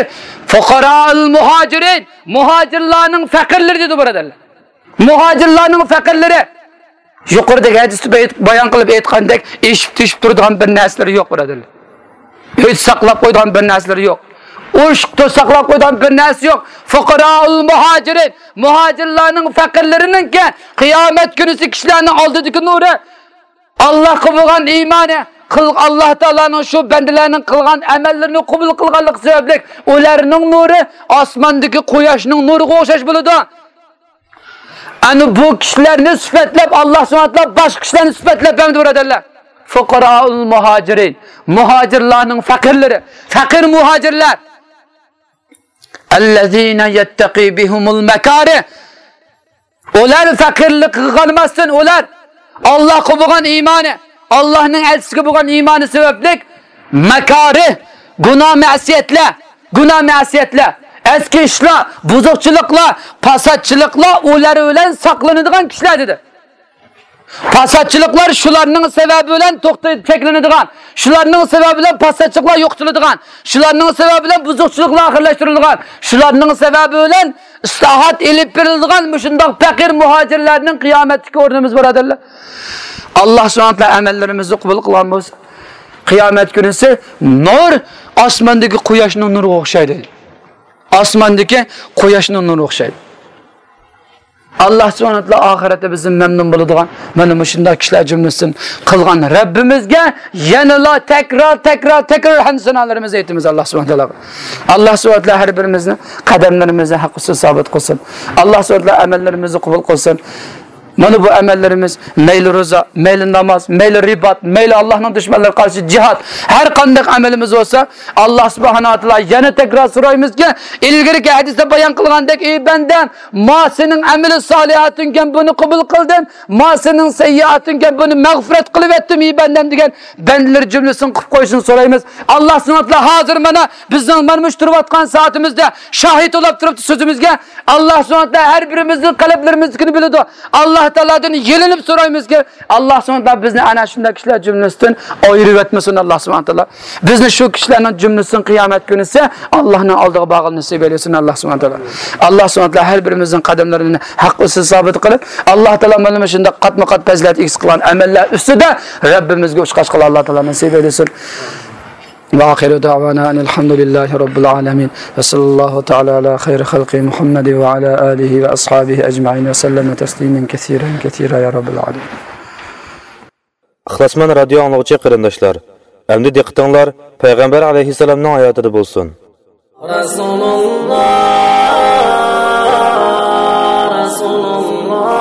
فقراء المهاجرين، مۇھاجىرلارنىڭ پەقىرلىرى دېدى، بۇرادەرلەر. مۇھاجىرلارنىڭ پەقىرلىرى. يۇقىرىدىكى ھەدىستە بايان قىلىپ ئېيتقاندەك، ئېشىپ تۆشۈپ تۇرىدىغان بىر نەرسىلىرى يوق، بۇرادەرلەر. ئۆيدە ساقلاپ قويىدىغان بىر نەرسىلىرى يوق. ئۇرۇشۇقتا ساقلاپ قويىدىغان بىر نەرسە يوق. فقراء المهاجرين، مۇھاجىرلارنىڭ پەقىرلىرىنىڭكى قىيامەت كۈنىسى كىشىلەرنىڭ ئالدىدىكى نۇرى، ئاللاھقا بولغان ئىمانى، قىل-، ئاللاھ تائالانىڭ شۇ بەندىلەرنىڭ قىلغان ئەمەللىرىنى قوبۇل قىلغانلىقى سەۋەبلىك ئۇلارنىڭ نۇرى ئاسماندىكى قۇياشنىڭ نۇرىغا ئوخشاش بولىدۇ. ئەنە بۇ كىشىلەرنى سۈپەتلەپ، ئاللاھ سۇبھانەھۇ ۋە تائالا باشقا كىشىلەرنى سۈپەتلەپ بەرمىدى، بۇرادەرلەر. فقراء المهاجرين، مۇھاجىرلارنىڭ پەقىرلىرى، پەقىر مۇھاجىرلار. الذين يتقي بهم المكاره. ئۇلار پەقىرلىققا قالماستىن، ئۇلار ئاللاھقا بولغان ئىمانى، ئاللاھنىڭ ئەلچىسىگە بولغان ئىمانى سەۋەبلىك ماكارىھ، گۇناھ مەسىيەتلەر، گۇناھ مەسىيەتلەر، ئەسكى ئىشلار، بۇزۇقچىلىقلار، پاساتچىلىقلار ئۇلار بىلەن ساقلىنىدىغان كىشىلەر دېدى. پاساتچىلىقلار شۇلارنىڭ سەۋەبى بىلەن توختىتىپ چەكلىنىدىغان، شۇلارنىڭ سەۋەبى بىلەن پاساتچىلىقلار يوقىتىلىدىغان، شۇلارنىڭ سەۋەبى بىلەن بۇزۇقچىلىقلار ئاخىرلاشتۇرۇلىدىغان، شۇلارنىڭ سەۋەبى بىلەن ئىسلاھات ئېلىپ بېرىلىدىغان مۇشۇنداق پەقىر مۇھاجىرلارنىڭ قىيامەتتىكى ئورنىمىز، بۇرادەرلەر. ئاللاھ سۇبھانەھۇ ۋە تائالا ئەمەللىرىمىزنى قوبۇل قىلغان بولسا، قىيامەت كۈنىسى نۇر ئاسماندىكى قۇياشنىڭ نۇرىغا ئوخشايدۇ. ئاسماندىكى قۇياشنىڭ نۇرىغا ئوخشايدۇ. ئاللاھ سۇبھانەھۇ ۋە تائالا ئاخىرەتتە بىزدىن مەمنۇن بولىدىغان مانا مۇشۇنداق كىشىلەر جۈملىسىدىن قىلغان رەببىمىزگە يەنىلا تەكرار، تەكرار، تەكرار ھەمدۇ سانالىرىمىزنى ئېيتىمىز ئاللاھ سۇبھانەھۇ ۋە تائالاغا. ئاللاھ سۇبھانەھۇ ۋە تائالا ھەر بىرىمىزنى قەدەملىرىمىزنى ھەق ئۈستىدە سابىت قىلسۇن. ئاللاھ سۇبھانەھۇ ۋە تائالا ئەمەللىرىمىزنى قوبۇل قىلسۇن. مانا بۇ ئەمەللىرىمىز، مەيلى روزا، مەيلى ناماز، مەيلى رىبات، مەيلى ئاللاھنىڭ دۈشمەنلىرىگە قارشى جىھاد، ھەر قانداق ئەمىلىمىز بولسا، ئاللاھ سۇبھانەھۇ ۋە تائالا يەنە تەكرار سورايمىزكى، ئىلگىرىكى ھەدىستە بايان قىلغاندەك، ئى بەندەم، ما سېنىڭ ئەمىلى سالىھاتىڭكەن، بۇنى قوبۇل قىلدىم، ما سېنىڭ سەييىئاتىڭكەن، بۇنى مەغپىرەت قىلىۋەتتىم، ئى بەندەم، دېگەن بەندىلەر جۈملىسىنى قىلىپ قويۇشىنى سورايمىز. ئاللاھ سۇبھانەھۇ ۋە تائالا ھازىر مانا بىزنىڭ مانا مۇشۇ تۇرۇۋاتقان سائىتىمىزدە شاھىت بولاپ تۇرۇپتۇ سۆزىمىزگە. ئاللاھ سۇبھانەھۇ ۋە تائالا ھەر بىرىمىزنىڭ قەلبلىرىمىزدىكىنى بىلىدۇ. ئاللاھ تائالادىن يېلىنىپ سورايمىزكى، ئاللاھ سۇبھانەھۇ ۋە تائالا بىزنى ئەنە شۇنداق كىشىلەر جۈملىسىدىن ئايرىۋەتمىسۇن ئاللاھ سۇبھانەھۇ ۋە تائالا. بىزنى شۇ كىشىلەرنىڭ جۈملىسىدىن قىيامەت كۈنىسى ئاللاھنىڭ ئالدىغا بارغىلى نېسىپ ئەيلىسۇن ئاللاھ سۇبھانەھۇ ۋە تائالا. ئاللاھ سۇبھانەھۇ ۋە تائالا ھەر بىرىمىزنىڭ قەدەملىرىنى ھەق ئۈستىدە سابىت قىلىپ، ئاللاھ تائالا مانا مۇشۇنداق قاتمۇ قات پەزىلەت ئىگىسى قىلغان ئەمەللەر ئۈستىدە رەببىمىزگە ئۇچقاچقىلى ئاللاھ تائالا نېسىپ ئەيلىسۇن. وآخر دعوانا أن الحمد لله رب العالمين. وصلى الله تعالى على خير خلقه محمد وعلى آله وأصحابه أجمعين وسلم تسليما كثيرا كثيرا يا رب العالمين. ئىخلاسمەن رادىيو ئاڭلىغۇچى قېرىنداشلار، ئەمدى دىققىتىڭلار پەيغەمبەر ئەلەيھىسسالامنىڭ ھاياتىدا بولسۇن. رەسۇلۇللا، رەسۇلۇللا،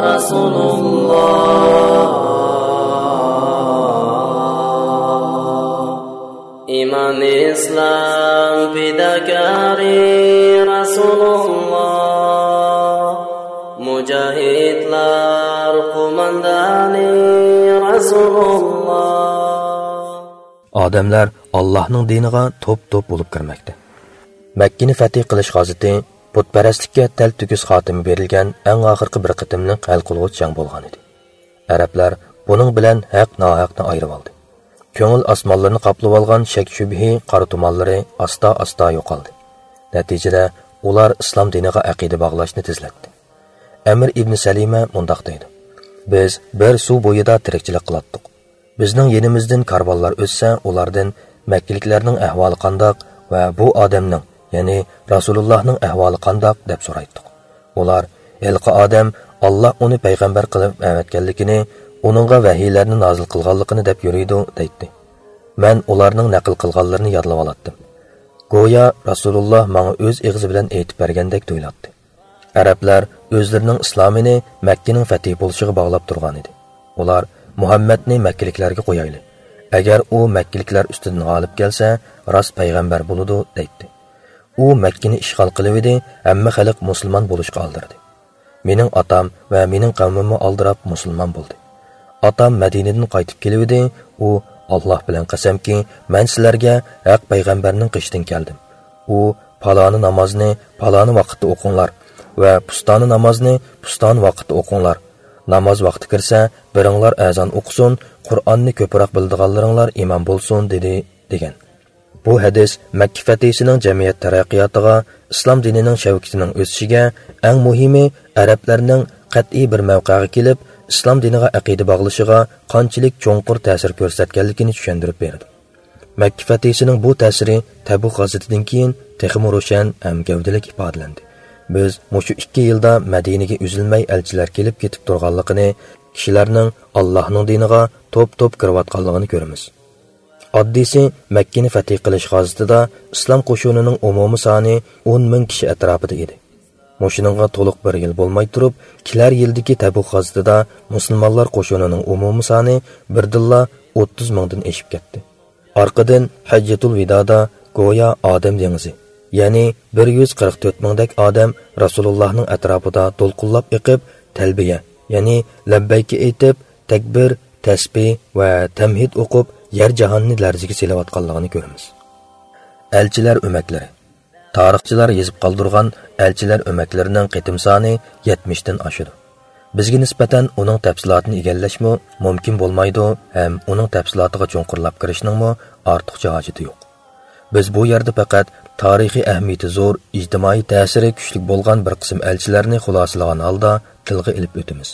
رەسۇلۇللا. ئىمان ئىسلام پىداكارى رەسۇلۇللا، مۇجاھىدلار قوماندانى رەسۇلۇللا. ئادەملەر ئاللاھنىڭ دىنىغا توپ-توپ بولۇپ كىرمەكتە. مەككىنى فەتھى قىلىش غازىتى بۇتپەرەسلىككە تەلتۆكۈس خاتىمە بېرىلگەن ئەڭ ئاخىرقى بىر قېتىملىق ھەل قىلغۇچ جەڭ بولغانىدى. ئەرەبلەر بۇنىڭ بىلەن ھەق-ناھەقنى ئايرىۋالدى. كۆڭۈل ئاسمانلىرىنى قاپلىۋالغان شەك-شۈبھە قارا تۇمانلىرى ئاستا-ئاستا يوقالدى. نەتىجىدە ئۇلار ئىسلام دىنىغا ئەقىدە باغلاشنى تېزلەتتى. ئەمىر ئىبن سەلىمە مۇنداق دەيدۇ: «بىز بىر سۇ بويىدا تىرىكچىلىك قىلاتتۇق. بىزنىڭ يېنىمىزدىن كارۋانلار ئۆتسە، ئۇلاردىن مەككىلىكلەرنىڭ ئەھۋالى قانداق ۋە بۇ ئادەمنىڭ، يەنى رەسۇلۇللاھنىڭ ئەھۋالى قانداق دەپ سورايتتۇق. ئۇلار، ھېلىقى ئادەم ئاللاھ ئۇنى پەيغەمبەر قىلىپ ئەۋەتكەنلىكىنى، ئۇنىڭغا ۋەھىيلەرنى نازىل قىلغانلىقىنى دەپ يۈرىدۇ» دەيتتى. مەن ئۇلارنىڭ نەقىل قىلغانلىرىنى يادلىۋالاتتىم. گويا رەسۇلۇللاھ ماڭا ئۆز ئېغىزى بىلەن ئېيتىپ بەرگەندەك تۇيۇلاتتى. ئەرەبلەر ئۆزلىرىنىڭ ئىسلامىنى مەككىنىڭ فەتھى بولۇشىغا باغلاپ تۇرغانىدى. ئۇلار، «مۇھەممەدنى مەككىلىكلەرگە قويايلى. ئەگەر ئۇ مەككىلىكلەر ئۈستىدىن غالىب كەلسە، راست پەيغەمبەر بولىدۇ» دەيتتى. ئۇ مەككىنى ئىشغال قىلىۋىدى، ھەممە خەلق مۇسۇلمان بولۇشقا ئالدىرىدى. مېنىڭ ئاتام ۋە مېنىڭ قەۋمىممۇ ئالدىراپ مۇسۇلمان بولدى. ئاتام مەدىنىدىن قايتىپ كېلىۋىدى، ئۇ، «ئاللاھ بىلەن قەسەمكى، مەن سىلەرگە ھەق پەيغەمبەرنىڭ قېشىدىن كەلدىم. ئۇ پالانى نامازنى پالانى ۋاقىتتا ئوقۇڭلار ۋە پۇستانى نامازنى پۇستانى ۋاقىتتا ئوقۇڭلار. ناماز ۋاقتى كىرسە، بىرىڭلار ئەزان ئوقۇسۇن، قۇرئاننى كۆپرەك بىلىدىغانلىرىڭلار ئىمام بولسۇن» دېدى، دېگەن. بۇ ھەدىس مەككە فەتھىسىنىڭ جەمئىيەت تەرەققىياتىغا، ئىسلام دىنىنىڭ شەۋكىتىنىڭ ئۆسۈشىگە، ئەڭ مۇھىمى، ئەرەبلەرنىڭ قەتئىي بىر مەۋقەگە كېلىپ، ئىسلام دىنىغا ئەقىدە باغلىشىغا قانچىلىك چوڭقۇر تەسىر كۆرسەتكەنلىكىنى چۈشەندۈرۈپ بېرىدۇ. مەككە فەتھىسىنىڭ بۇ تەسىرى تەبۇك غازىتىدىن كېيىن تېخىمۇ روشەن ھەم گەۋدىلىك ئىپادىلەندى. بىز مۇشۇ ئىككى يىلدا مەدىنىگە ئۈزۈلمەي ئەلچىلەر كېلىپ كېتىپ تۇرغانلىقىنى، كىشىلەرنىڭ ئاللاھنىڭ دىنىغا توپ-توپ كىرىۋاتقانلىقىنى كۆرىمىز. ئاددىيسى، مەككىنى فەتھى قىلىش غازىتىدا ئىسلام قوشۇنىنىڭ ئومۇمىي سانى ئون مىڭ كىشى ئەتراپىدا ئىدى. مۇشۇنىڭغا تولۇق بىر يىل بولماي تۇرۇپ، كېلەر يىلدىكى تەبۇك غازىتىدا مۇسۇلمانلار قوشۇنىنىڭ ئومۇمىي سانى بىردىنلا ئوتتۇز مىڭدىن ئېشىپ كەتتى. ئارقىدىن ھەججەتۇل ۋىدادا گويا ئادەم دېڭىزى، يەنى بىر يۈز قىرىق تۆت مىڭدەك ئادەم رەسۇلۇللاھنىڭ ئەتراپىدا دولقۇنلاپ ئېقىپ، تەلبىيە، يەنى لەببەيكە ئېيتىپ، تەكبىر، تەسبىھ ۋە تەمھىد ئوقۇپ، يەر جاھاننى لەرزىگە سېلىۋاتقانلىقىنى كۆرىمىز. ئەلچىلەر ئۆمەكلىرى. تارىخچىلار يېزىپ قالدۇرغان ئەلچىلەر ئۆمەكلىرىنىڭ قېتىم سانى يەتمىشتىن ئاشىدۇ. بىزگە نىسبەتەن ئۇنىڭ تەپسىلاتىنى ئىگىلەشمۇ مۇمكىن بولمايدۇ ھەم ئۇنىڭ تەپسىلاتىغا چوڭقۇرلاپ كىرىشنىڭمۇ ئارتۇقچە ھاجىتى يوق. بىز بۇ يەردە پەقەت تارىخىي ئەھمىيىتى زور، ئىجتىمائىي تەسىرى كۈچلۈك بولغان بىر قىسىم ئەلچىلەرنى خۇلاسىلىغان ھالدا تىلغا ئېلىپ ئۆتىمىز.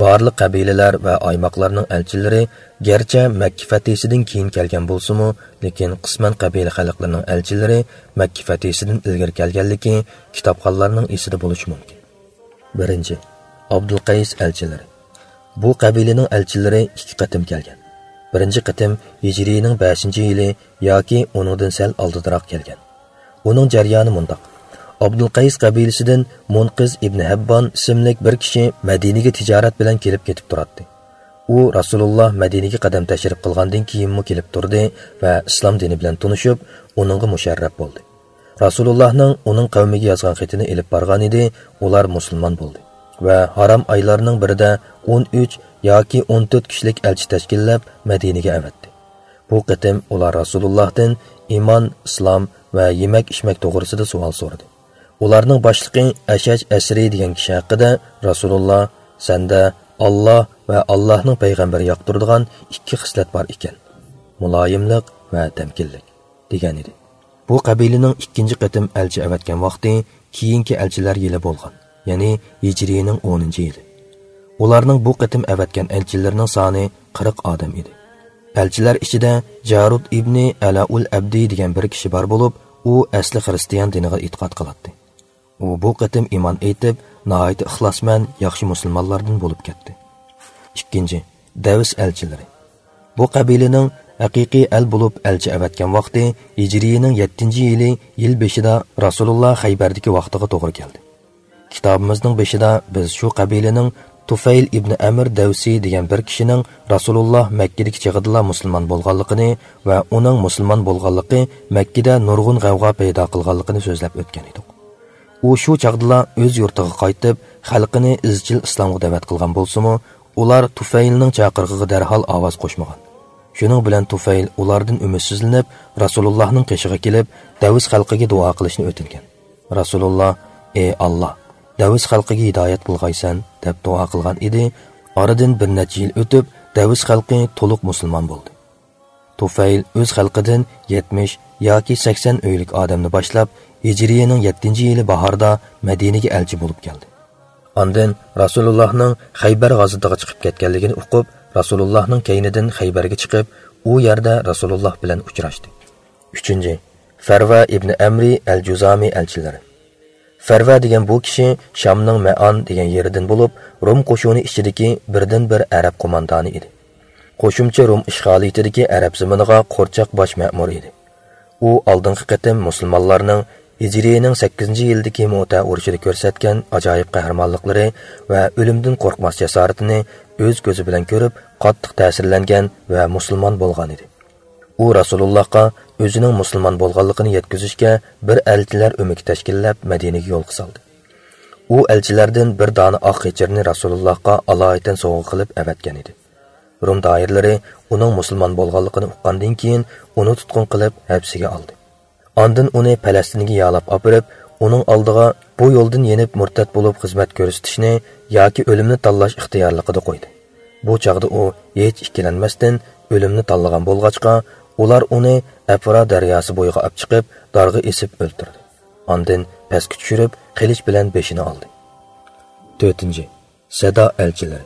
بارلىق قەبىلىلەر ۋە ئايماقلارنىڭ ئەلچىلىرى گەرچە مەككە فەتھىسىدىن كېيىن كەلگەن بولسىمۇ، لېكىن قىسمەن قەبىلە خەلقلىرىنىڭ ئەلچىلىرى مەككە فەتھىسىدىن ئىلگىرى كەلگەنلىكى كىتابخانلارنىڭ ئېسىدە بولۇشى مۇمكىن. بىرىنچى، ئابدۇلقەيس ئەلچىلىرى. بۇ قەبىلىنىڭ ئەلچىلىرى ئىككى قېتىم كەلگەن. بىرىنچى قېتىم ھىجرىينىڭ بەشىنچى يىلى ياكى ئۇنىڭدىن سەل ئالدىدىراق كەلگەن. ئۇنىڭ جەريانى مۇنداق. ئابدۇلقەيس قەبىلىسىدىن مۇنقىز ئىبنى ھەببان ئىسىملىك بىر كىشى مەدىنىگە تىجارەت بىلەن كېلىپ كېتىپ تۇراتتى. ئۇ رەسۇلۇللا مەدىنىگە قەدەم تەشرىپ قىلغاندىن كېيىنمۇ كېلىپ تۇردى ۋە ئىسلام دىنى بىلەن تونۇشۇپ، ئۇنىڭغا مۇشەررەپ بولدى. رەسۇلۇللاھنىڭ ئۇنىڭ قەۋمىگە يازغان خېتىنى ئېلىپ بارغانىدى، ئۇلار مۇسۇلمان بولدى ۋە ھارام ئايلارنىڭ بىرىدە ئون ئۈچ ياكى ئون تۆت كىشىلىك ئەلچى تەشكىللەپ مەدىنىگە ئەۋەتتى. بۇ قېتىم ئۇلار رەسۇلۇللاھتىن ئىمان، ئىسلام ۋە يېمەك-ئىچمەك توغرىسىدا سوئال سورىدى. ئۇلارنىڭ باشلىقى ئەشەج ئەسرى دېگەن كىشى ھەققىدە رەسۇلۇللا، «سەندە ئاللا ۋە ئاللاھنىڭ پەيغەمبىرى ياقتۇرىدىغان ئىككى خىسلەت بار ئىكەن، مۇلايىملىق ۋە تەمكىنلىك» دېگەن ئىدى. بۇ قەبىلىنىڭ ئىككىنچى قېتىم ئەلچى ئەۋەتكەن ۋاقتى كېيىنكى ئەلچىلەر يىلى بولغان، يەنى ھىجرىينىڭ ئونىنچى يىلى. ئۇلارنىڭ بۇ قېتىم ئەۋەتكەن ئەلچىلىرىنىڭ سانى قىرىق ئادەم ئىدى. ئەلچىلەر ئىچىدە جارۇد ئىبنى ئەلائۇل ئەبدى دېگەن بىر كىشى بار بولۇپ، ئۇ ئەسلى خىرىستىيان دىنىغا ئېتىقاد قىلاتتى. ئۇ بۇ قېتىم ئىمان ئېيتىپ، ناھايىتى ئىخلاسمەن، ياخشى مۇسۇلمانلاردىن بولۇپ كەتتى. ئىككىنچى، دەۋس ئەلچىلىرى. بۇ قەبىلىنىڭ ھەقىقىي ئەل بولۇپ ئەلچى ئەۋەتكەن ۋاقتى ھىجرىينىڭ يەتتىنچى يىلى، يىل بېشىدا رەسۇلۇللا خەيبەردىكى ۋاقتىغا توغرا كەلدى. كىتابىمىزنىڭ بېشىدا بىز شۇ قەبىلىنىڭ تۇفەيل ئىبنى ئەمىر دەۋسى دېگەن بىر كىشىنىڭ رەسۇلۇللا مەككىدىكى چېغىدىلا مۇسۇلمان بولغانلىقىنى ۋە ئۇنىڭ مۇسۇلمان بولغانلىقى مەككىدە نۇرغۇن غەۋغا پەيدا قىلغانلىقىنى سۆزلەپ ئۆتكەن ئىدۇق. ئۇ شۇ چاغدىلا ئۆز يۇرتىغا قايتىپ، خەلقىنى ئىزچىل ئىسلامغا دەۋەت قىلغان بولسىمۇ، ئۇلار تۇفەيلنىڭ چاقىرىقىغا دەرھال ئاۋاز قوشمىغان. شۇنىڭ بىلەن تۇفەيل ئۇلاردىن ئۈمىدسىزلىنىپ، رەسۇلۇللاھنىڭ قېشىغا كېلىپ، دەۋس خەلقىگە دۇئا قىلىشنى ئۆتۈنگەن. رەسۇلۇللا، «ئى ئاللا، دەۋس خەلقىگە ھىدايەت قىلغايسەن» دەپ دۇئا قىلغان ئىدى. ئارىدىن بىر نەچچە يىل ئۆتۈپ، دەۋس خەلقى تولۇق مۇسۇلمان بولدى. تۇفەيل ئۆز خەلقىدىن يەتمىش ياكى سەكسەن ئۆيلۈك ئادەمنى باشلاپ، ھىجرىيەنىڭ يەتتىنچى يىلى باھاردا مەدىنىگە ئەلچى بولۇپ كەلدى. ئاندىن رەسۇلۇللاھنىڭ خەيبەر غازىتىغا چىقىپ كەتكەنلىكىنى ئۇقۇپ، رەسۇلۇللاھنىڭ كەينىدىن خەيبەرگە چىقىپ، ئۇ يەردە رەسۇلۇللاھ بىلەن ئۇچراشتى. ئۈچىنچى، فەرۋە ئىبنى ئەمرى ئەل جۇزامى ئەلچىلىرى. فەرۋە دېگەن بۇ كىشى شامنىڭ مەئان دېگەن يېرىدىن بولۇپ، روم قوشۇنى ئىچىدىكى بىردىنبىر ئەرەب قوماندانى ئىدى. قوشۇمچە روم ئىشغالىيىتىدىكى ئەرەب زېمىنىغا قورچاق باش مەمۇر ئىدى. ئۇ ئالدىنقى قېتىم مۇسۇلمانلارنىڭ ھىجرىيەنىڭ سەككىزىنچى يىلىدىكى مۇئتە ئۇرۇشىدا كۆرسەتكەن ئاجايىپ قەھرىمانلىقلىرى ۋە ئۆلۈمدىن قورقماس جاسارىتىنى ئۆز كۆزى بىلەن كۆرۈپ، قاتتىق تەسىرلەنگەن ۋە مۇسۇلمان بولغان ئىدى. ئۇ رەسۇلۇللاھقا ئۆزىنىڭ مۇسۇلمان بولغانلىقىنى يەتكۈزۈشكە بىر ئەلچىلەر ئۆمىكى تەشكىللەپ، مەدىنىگە يولغا سالدى. ئۇ ئەلچىلەردىن بىر دانە ئاق غېچىرنى رەسۇلۇللاھقا ئالايىتەن سوۋغا قىلىپ ئەۋەتكەن ئىدى. روم دائىرىلىرى ئۇنىڭ مۇسۇلمان بولغانلىقىنى ئۇققاندىن كېيىن، ئۇنى تۇتقۇن قىلىپ ھەپسىگە ئالدى. ئاندىن ئۇنى پەلەستىنگە يالاپ ئاپىرىپ، ئۇنىڭ ئالدىغا بۇ يولدىن يېنىپ مۇرتەت بولۇپ خىزمەت كۆرسىتىشنى ياكى ئۆلۈمنى تاللاش ئىختىيارلىقىدا قويدى. بۇ چاغدا ئۇ ھېچ ئىككىلەنمەستىن ئۆلۈمنى تاللىغان بولغاچقا، ئۇلار ئۇنى ئەفرا دەرياسى بويىغا ئاپچىقىپ، دارغا ئېسىپ ئۆلتۈردى. ئاندىن پەسكە چۈشۈرۈپ، قىلىچ بىلەن بېشىنى ئالدى. تۆتىنچى، سەدا ئەلچىلىرى.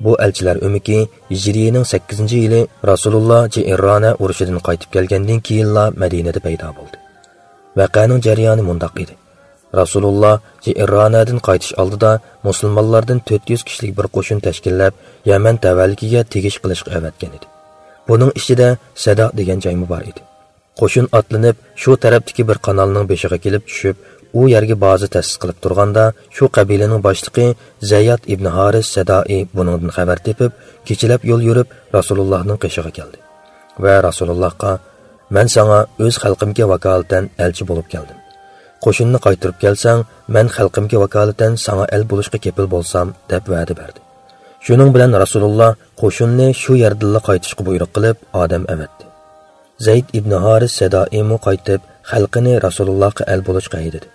بۇ ئەلچىلەر ئۆمىكى ھىجرىيىنىڭ سەككىزىنچى يىلى رەسۇلۇللا جىئىررانە ئۇرۇشىدىن قايتىپ كەلگەندىن كېيىنلا مەدىنىدە پەيدا بولدى. ۋەقەنىڭ جەريانى مۇنداق ئىدى. رەسۇلۇللا جىئىررانەدىن قايتىش ئالدىدا مۇسۇلمانلاردىن تۆت يۈز كىشىلىك بىر قوشۇن تەشكىللەپ، يەمەن تەۋەلىكىگە تېگىش قىلىشقا ئەۋەتكەن ئىدى. بۇنىڭ ئىچىدە سەدا دېگەن جايمۇ بار ئىدى. قوشۇن ئاتلىنىپ، شۇ تەرەپتىكى بىر قانالنىڭ بېشىغا كېلىپ چۈشۈپ، ئۇ يەرگە بازا تەسىس قىلىپ تۇرغاندا، شۇ قەبىلىنىڭ باشلىقى زەيياد ئىبنى ھارىس سەدائى بۇنىڭدىن خەۋەر تېپىپ، كېچىلەپ يول يۈرۈپ، رەسۇلۇللاھنىڭ قېشىغا كەلدى ۋە رەسۇلۇللاھقا، «مەن ساڭا ئۆز خەلقىمگە ۋاكالىتەن ئەلچى بولۇپ كەلدىم. قوشۇننى قايتۇرۇپ كەلسەڭ، مەن خەلقىمگە ۋاكالىتەن ساڭا ئەل بولۇشقا كېپىل بولسام» دەپ ۋەدە بەردى. شۇنىڭ بىلەن رەسۇلۇللا قوشۇننى شۇ يەردىنلا قايتىشقا بۇيرۇق قىلىپ، ئادەم ئەۋەتتى. زەيد ئىبنى ھارىس سەدائىمۇ قايتىپ، خەلقىنى رەسۇلۇللاھقا ئەل بولۇشقا ھەيدىدى.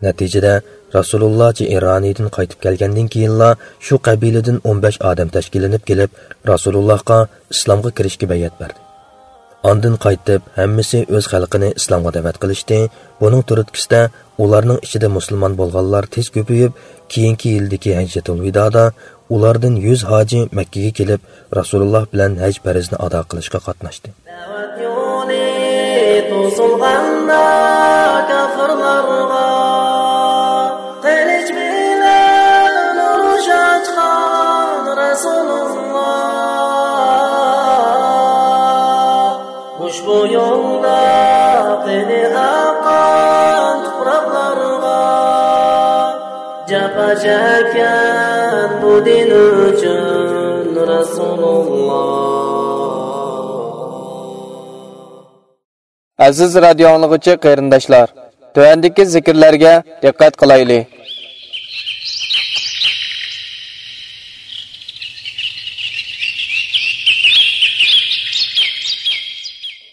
نەتىجىدە، رەسۇلۇللا جىئىرانىدىن قايتىپ كەلگەندىن كېيىنلا شۇ قەبىلىدىن ئون بەش ئادەم تەشكىللىنىپ كېلىپ، رەسۇلۇللاھقا ئىسلامغا كىرىشكە بەيئەت بەردى. ئاندىن قايتىپ، ھەممىسى ئۆز خەلقىنى ئىسلامغا دەۋەت قىلىشتى. بۇنىڭ تۈرتكىسىدە، ئۇلارنىڭ ئىچىدە مۇسۇلمان بولغانلار تېز كۆپىيىپ، كېيىنكى يىلدىكى ھەججەتۇل ۋىدادا ئۇلاردىن يۈز ھاجى مەككىگە كېلىپ، رەسۇلۇللا بىلەن ھەج پەرزىنى ئادا قىلىشقا قاتناشتى. دەۋەت يولى توسۇلغاندا كاپىرلارغا، قىلىچ بىلەن ئۇرۇش ئاچقان رەسۇلۇللا. ئۇشبۇ يولدا قېنى ئاققان تۇپراقلارغا، جاپا چەككەن بۇ دىن ئۈچۈن رەسۇلۇللا. ئەزىز رادىيو ئاڭلىغۇچى قېرىنداشلار، تۆۋەندىكى زىكىرلەرگە دىققەت قىلايلى.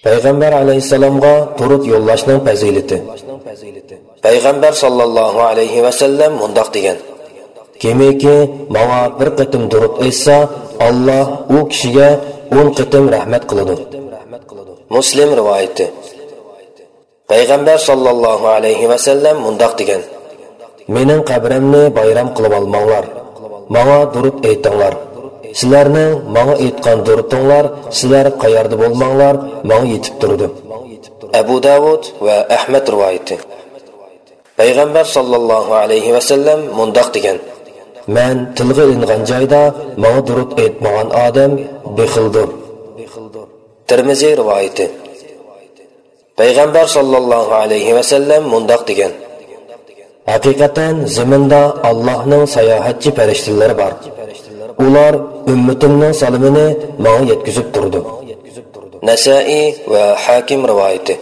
پەيغەمبەر ئەلەيھىسسالامغا دۇرۇت يوللاشنىڭ پەزىلىتى. پەيغەمبەر ساللاللاھۇ ئەلەيھى ۋەسەللەم مۇنداق دېگەن: «كىمكى ماڭا بىر قېتىم دۇرۇت ئېيتسا، ئاللا ئۇ كىشىگە ئون قېتىم رەھمەت قىلىدۇ.» مۇسلىم رىۋايىتى. پەيغەمبەر ساللاللاھۇ ئەلەيھى ۋەسەللەم مۇنداق دېگەن: «مېنىڭ قەبرەمنى بايرام قىلىۋالماڭلار، ماڭا دۇرۇت ئېيتىڭلار. سىلەرنىڭ ماڭا ئېيتقان دۇرۇتۇڭلار، سىلەر قەيەردە بولماڭلار، ماڭا يېتىپ تۇرىدۇ.» ئەبۇ داۋۇد ۋە ئەھمەد رىۋايىتى. پەيغەمبەر ساللاللاھۇ ئەلەيھى ۋەسەللەم مۇنداق دېگەن: «مەن تىلغا ئېلىنغان جايدا ماڭا دۇرۇت ئېيتمىغان ئادەم بېخىلدۇر.» تىرمىزى رىۋايىتى. پەيغەمبەر ساللاللاھۇ ئەلەيھى ۋەسەللەم مۇنداق دېگەن: «ھەقىقەتەن زېمىندا ئاللاھنىڭ ساياھەتچى پەرىشتىلىرى بار. ئۇلار ئۈممىتىمنىڭ سالىمىنى ماڭا يەتكۈزۈپ تۇرىدۇ.» نەسائىي ۋە ھاكىم رىۋايىتى.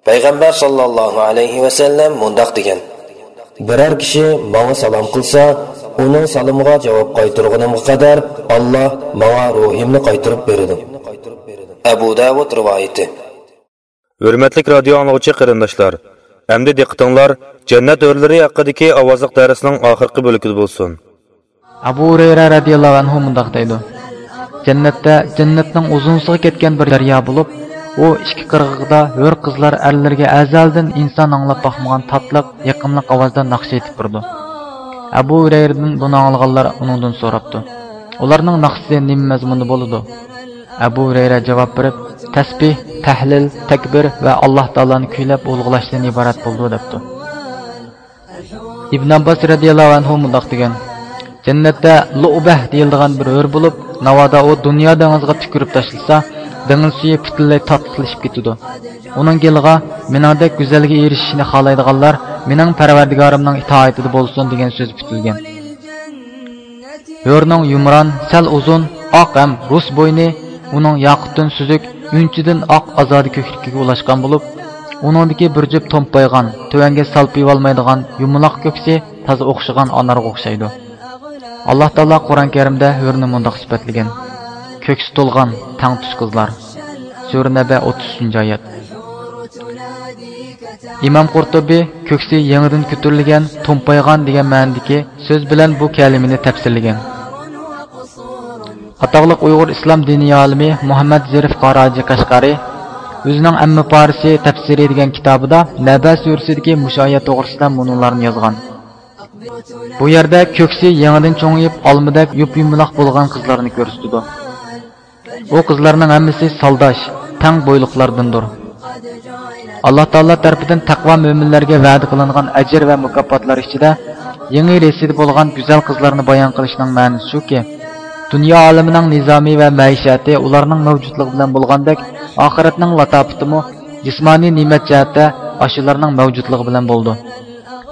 پەيغەمبەر ساللاللاھۇ ئەلەيھى ۋەسەللەم مۇنداق دېگەن: «بىرەر كىشى ماڭا سالام قىلسا، ئۇنىڭ سالىمىغا جاۋاب قايتۇرغىنىمغا قەدەر ئاللا ماڭا روھىمنى قايتۇرۇپ بېرىدۇ.» ئەبۇ داۋۇد رىۋايىتى. ھۆرمەتلىك رادىيو ئاڭلىغۇچى قېرىنداشلار، ئەمدى دىققىتىڭلار جەننەت ھۆرلىرى ھەققىدىكى ئاۋازلىق دەرسنىڭ ئاخىرقى بۆلىكىدە بولسۇن. ئەبۇ ھۇرەيرە رەزىياللاھۇ ئەنھۇ مۇنداق دەيدۇ: جەننەتتە جەننەتنىڭ ئۇزۇنسىغا كەتكەن بىر دەريا بولۇپ، ئۇ ئىككى قىرغىقىدا ھۆر قىزلار ئەرلىرىگە ئەزەلدىن ئىنسان ئاڭلاپ باقمىغان تاتلىق، يېقىملىق ئاۋازدا ناخشا ئېيتىپ تۇرىدۇ. ئەبۇ ھۇرەيرىدىن بۇنى ئاڭلىغانلار ئۇنىڭدىن سوراپتۇ: ئۇلارنىڭ ناخشىسى نېمە مەزمۇندا بولىدۇ؟ ئەبۇ ھۇرەيرە جاۋاب بېرىپ، تەسبىھ، تەھلىل، تەكبىر ۋە ئاللاھ تائالانى كۈيلەپ ئۇلۇغلاشتىن ئىبارەت بولىدۇ، دەپتۇ. ئىبن ئابباس رەزىياللاھۇ ئەنھۇ مۇنداق دېگەن: جەننەتتە لۇئبەھ دېيىلىدىغان بىر ھۆر بولۇپ، ناۋادا ئۇ دۇنيا دېڭىزىغا تۈكۈرۈپ تاشلىسا، دېڭىز سۈيى پۈتۈنلەي تاتلىقلىشىپ كېتىدۇ. ئۇنىڭ گېلىغا مېنىڭدەك گۈزەلگە ئېرىشىشنى خالايدىغانلار مېنىڭ پەرۋەردىگارىمنىڭ ئىتائىتىدە بولسۇن، دېگەن سۆز پۈتۈلگەن. ھۆرنىڭ يۇمران، سەل ئۇزۇن، ئاق ھەم رۇس بوينى، ئۇنىڭ ياقۇتتىن سۈزۈك، ئۈنچىدىن ئاق ئازادە كۆكلۈكىگە ئۇلاشقان بولۇپ، ئۇنىڭدىكى بىر جۈپ تومپايغان، تۆۋەنگە سالپىيىۋالمايدىغان يۇمىلاق كۆكسى تازا ئوخشىغان ئانارغا ئوخشايدۇ. ئاللاھ تائالا قۇرئان كەرىمدە ھۆرنى مۇنداق سۈپەتلىگەن: كۆكسى تولغان، تەڭتۇش قىزلار. سۈرە نەبە، ئوتتۇز ئۈچىنچى ئايەت. ئىمام قۇرتۇبى كۆكسى يېڭىدىن كۆتۈرۈلگەن، تومپايغان دېگەن مەنىدىكى سۆز بىلەن بۇ كەلىمىنى تەپسىرلىگەن. ئاتاقلىق ئۇيغۇر ئىسلام دىنىي ئالىمى مۇھەممەد زېرىف قاراجى قەشقەرى ئۆزىنىڭ ئەممىپارىسى تەپسىرى دېگەن كىتابىدا نەبە سۈرىسىدىكى مۇشۇ ئايەت توغرىسىدا مۇنۇلارنى يازغان: بۇ يەردە كۆكسى يېڭىدىن چوڭىيىپ، ئالمىدەك يۇپيۇمىلاق بولغان قىزلارنى كۆرسىتىدۇ. ئۇ قىزلارنىڭ ھەممىسى سالداش، تەڭ بويلۇقلاردىندۇر. ئاللاھ تائالا تەرىپىدىن تەقۋا مۆمىنلەرگە ۋەدە قىلىنغان ئەجىر ۋە مۇكاپاتلار ئىچىدە يېڭى رەسىدە بولغان گۈزەل قىزلارنى بايان قىلىشنىڭ مەنىسى شۇكى، دۇنيا ئالىمىنىڭ نىزامى ۋە مەئىشەتى ئۇلارنىڭ مەۋجۇتلۇقى بىلەن بولغاندەك، ئاخىرەتنىڭ لاتاپىتىمۇ جىسمانىي نېمەت جەھەتتە ئاشۇلارنىڭ مەۋجۇتلۇقى بىلەن بولىدۇ.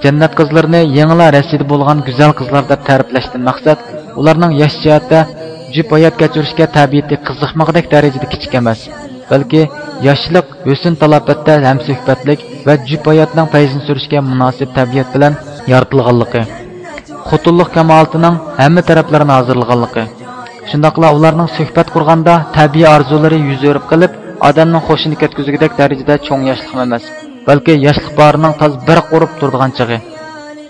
جەننەت قىزلىرىنى يېڭىلا رەسىدە بولغان گۈزەل قىزلار دەپ تەرىپلەشتىن مەقسەت، ئۇلارنىڭ ياش جەھەتتە جۈپ ھايات كەچۈرۈشكە تەبىئىتى قىزىقمىغۇدەك دەرىجىدە كىچىك ئەمەس، بەلكى ياشلىق، ھۆسن-تالاپەتتە ھەمسۆھبەتلىك ۋە جۈپ ھاياتنىڭ پەيزىنى سۈرۈشكە مۇناسىپ تەبىئەت بىلەن يارىتىلغانلىقى، خوتۇنلۇق كامالىتىنىڭ ھەممە تەرەپلىرىنى ھازىرلىغانلىقى، شۇنداقلا ئۇلارنىڭ سۆھبەت قۇرغاندا تەبىئىي ئارزۇلىرى يۈز ئۆرۈپ قېلىپ، ئادەمنىڭ خۇشىنى كەتكۈزگۈدەك دەرىجىدە چوڭ ياشلىقمۇ ئەمەس، بەلكى ياشلىق باھارىنىڭ تازا بىر قۇرۇپ تۇرىدىغان چېغى.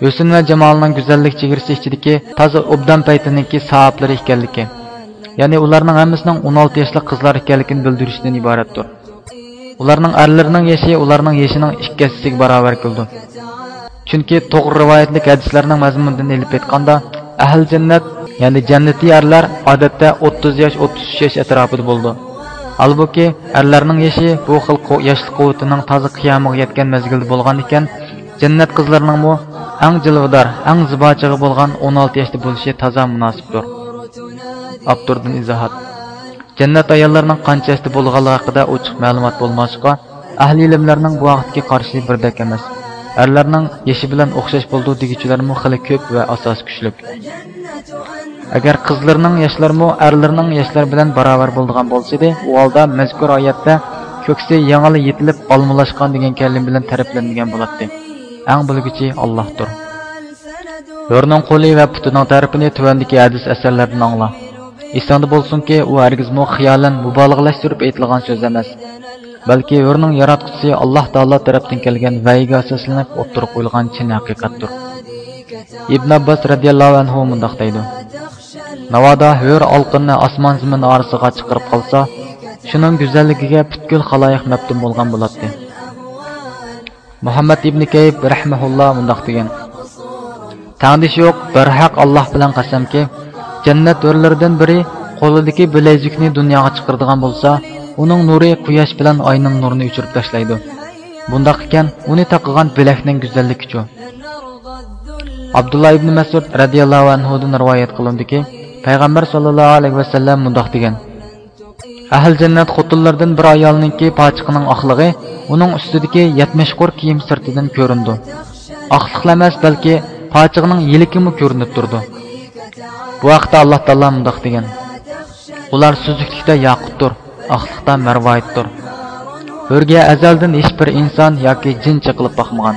ھۆسن ۋە جامالنىڭ گۈزەللىك چېگرىسى ئىچىدىكى تازا ئوبدان پەيتىنىڭكى ساھىبلىرى ئىكەنلىكى، يەنى ئۇلارنىڭ ھەممىسىنىڭ ئون ئالتە ياشلىق قىزلار ئىكەنلىكىنى بىلدۈرۈشتىن ئىبارەتتۇر. ئۇلارنىڭ ئەرلىرىنىڭ يېشى ئۇلارنىڭ يېشىنىڭ ئىككى ھەسسىسىگە باراۋەر كېلىدۇ. چۈنكى توغرا رىۋايەتلىك ھەدىسلەرنىڭ مەزمۇنىدىن ئېلىپ ئېيتقاندا، ئەھلى جەننەت، يەنى جەننىتىي ئەرلەر ئادەتتە ئوتتۇز ياش، ئوتتۇز ئۈچ ياش ئەتراپىدا بولىدۇ. ھالبۇكى، ئەرلەرنىڭ يېشى بۇ خىل قۇ-، ياشلىق قۇۋۋىتىنىڭ تازا قىيامىغا يەتكەن مەزگىلدە بولغان ئىكەن، جەننەت قىزلىرىنىڭمۇ ئەڭ جىلۋىدار، ئەڭ زىبا چېغى بولغان ئون ئالتە ياشتا بولۇشى تازا مۇناسىپتۇر. ئاپتوردىن ئىزاھات. جەننەت ئاياللىرىنىڭ قانچە ياشتا بولغانلىقى ھەققىدە ئوچۇق مەلۇمات بولماسلىقى، ئەھلى ئىلىملەرنىڭ بۇ ھەقتىكى قارىشى بىردەك ئەمەس. ئەرلەرنىڭ يېشى بىلەن ئوخشاش بولىدۇ دېگۈچىلەرمۇ خېلى كۆپ ۋە ئاساسى كۈچلۈك. ئەگەر قىزلىرىنىڭ ياشلىرىمۇ ئەرلىرىنىڭ ياشلىرى بىلەن باراۋەر بولىدىغان بولسىدى، ئۇ ھالدا مەزكۇر ئايەتتە كۆكسى يېڭىلا يېتىلىپ ئالمىلاشقان دېگەن كەلىمە بىلەن تەرىپلەنمىگەن بولاتتى. ئەڭ بىلگۈچى ئاللاھتۇر. ھۆرنىڭ قولى ۋە پۇتىنىڭ تەرىپىنى تۆۋەندىكى ھەدىس ئەسەرلەردىن ئاڭلا. ئېسىڭدە بولسۇنكى، ئۇ ھەرگىزمۇ خىيالەن مۇبالىغىلەشتۈرۈپ ئېيتىلغان سۆز ئەمەس، بەلكى ھۆرنىڭ ياراتقۇچىسى ئاللاھ تائالا تەرەپتىن كەلگەن ۋەھىيگە ئاساسلىنىپ ئوتتۇرىغا قويۇلغان چىن ھەقىقەتتۇر. ئىبن ئابباس رەزىياللاھۇ ئەنھۇ مۇنداق دەيدۇ: ناۋادا ھۆر ئالقىننى ئاسمان زېمىن ئارىسىغا چىقىرىپ قالسا، شۇنىڭ گۈزەللىكىگە پۈتكۈل خالايىق مەپتۇن بولغان بولاتتى. مۇھەممەد ئىبنى كەيب رەھمەھۇللا مۇنداق دېگەن: تەڭدىشى يوق بىر ھەق ئاللاھ بىلەن قەسەمكى، جەننەت ھۆرلىرىدىن بىرى قولىدىكى بىلەيزۈكنى دۇنياغا چىقىرىدىغان بولسا، ئۇنىڭ نۇرى قۇياش بىلەن ئاينىڭ نۇرىنى ئۆچۈرۈپ تاشلايدۇ. بۇنداق ئىكەن، ئۇنى تاقىغان بىلەكنىڭ گۈزەللىكىچۇ؟ ئابدۇللا ئىبنى مەسئۇد رەزىياللاھۇ ئەنھۇدىن رىۋايەت قىلىنىدۇكى، پەيغەمبەر ساللاللاھۇ ئەلەيھى ۋەسەللەم مۇنداق دېگەن: ئەھلى جەننەت خوتۇنلىرىدىن بىر ئايالنىڭكى پاچىقىنىڭ ئاقلىقى ئۇنىڭ ئۈستىدىكى يەتمىش قۇر كىيىم سىرتىدىن كۆرۈنىدۇ. ئاقلىقلا ئەمەس، بەلكى پاچىقىنىڭ يىلىكىمۇ كۆرۈنۈپ تۇرىدۇ. بۇ ھەقتە ئاللاھ تائالا مۇنداق دېگەن: ئۇلار سۈزۈكلۈكتە ياقۇتتۇر، ئاقلىقتا مەرۋايىتتۇر. ھۆرگە ئەزەلدىن ھېچبىر ئىنسان ياكى جىن چېقىلىپ باقمىغان.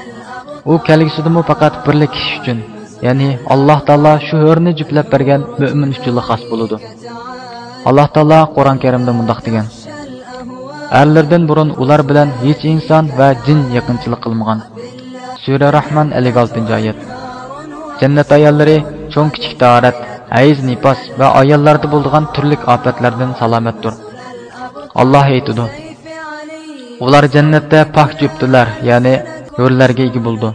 ئۇ كەلگۈسىدىمۇ پەقەت بىرلا كىشى ئۈچۈن، يەنى ئاللاھ تائالا شۇ ھۆرنى جۈپلەپ بەرگەن مۆمىن ئۈچۈنلا خاس بولىدۇ. ئاللاھ تائالا قۇرئان كەرىمدە مۇنداق دېگەن: ئەرلىرىدىن بۇرۇن ئۇلار بىلەن ھېچ ئىنسان ۋە جىن يېقىنچىلىق قىلمىغان. سۈرە راھمان، ئەللىك ئالتىنچى ئايەت. جەننەت ئاياللىرى چوڭ-كىچىك تاھارەت، ھەيز، نىپاس ۋە ئاياللاردا بولىدىغان تۈرلۈك ئاپەتلەردىن سالامەتتۇر. ئاللاھ ئېيتىدۇ: ئۇلار جەننەتتە پاك جۈپتىلەر، يەنى ھۆرلەرگە ئىگە بولىدۇ.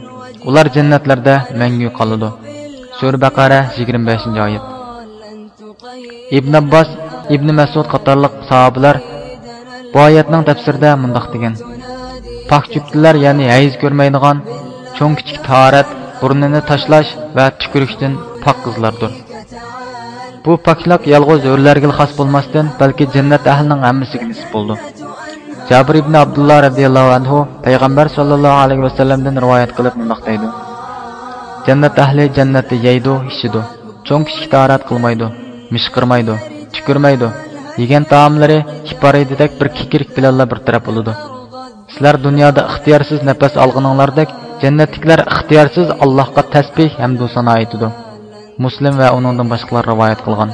ئۇلار جەننەتلەردە مەڭگۈ قالىدۇ. سۈرە بەقەرە، يىگىرمە بەشىنچى ئايەت. ئىبن ئابباس، ئىبن مەسئۇد قاتارلىق ساھابىلەر بۇ ئايەتنىڭ تەپسىرىدە مۇنداق دېگەن: پاك جۈپتىلەر، يەنى ھەيز كۆرمەيدىغان، چوڭ-كىچىك تاھارەت، بۇرنىنى تاشلاش ۋە تۈكۈرۈشتىن پاك قىزلاردۇر. بۇ پاكلىق يالغۇز ھۆرلەرگىلا خاس بولماستىن، بەلكى جەننەت ئەھلىنىڭ ھەممىسىگە نېسىپ بولىدۇ. جابىر ئىبن ئابدۇللا رەزىياللاھۇ ئەنھۇ پەيغەمبەر ساللاللاھۇ ئەلەيھى ۋەسەللەمدىن رىۋايەت قىلىپ مۇنداق دەيدۇ: جەننەت ئەھلى جەننەتتە يەيدۇ، ئىچىدۇ، چوڭ-كىچىك تاھارەت قىلمايدۇ، مىشقىرمايدۇ، تۈكۈرمەيدۇ، يېگەن تائاملىرى ھېپارىيدىدەك بىر كېكىرىك بىلەنلا بىر تەرەپ بولىدۇ. سىلەر دۇنيادا ئىختىيارسىز نەپەس ئالغىنىڭلاردەك، جەننەتتىكىلەر ئىختىيارسىز ئاللاھقا تەسبىھ ھەمدۇ سانا ئېيتىدۇ. مۇسلىم ۋە ئۇنىڭدىن باشقىلار رىۋايەت قىلغان.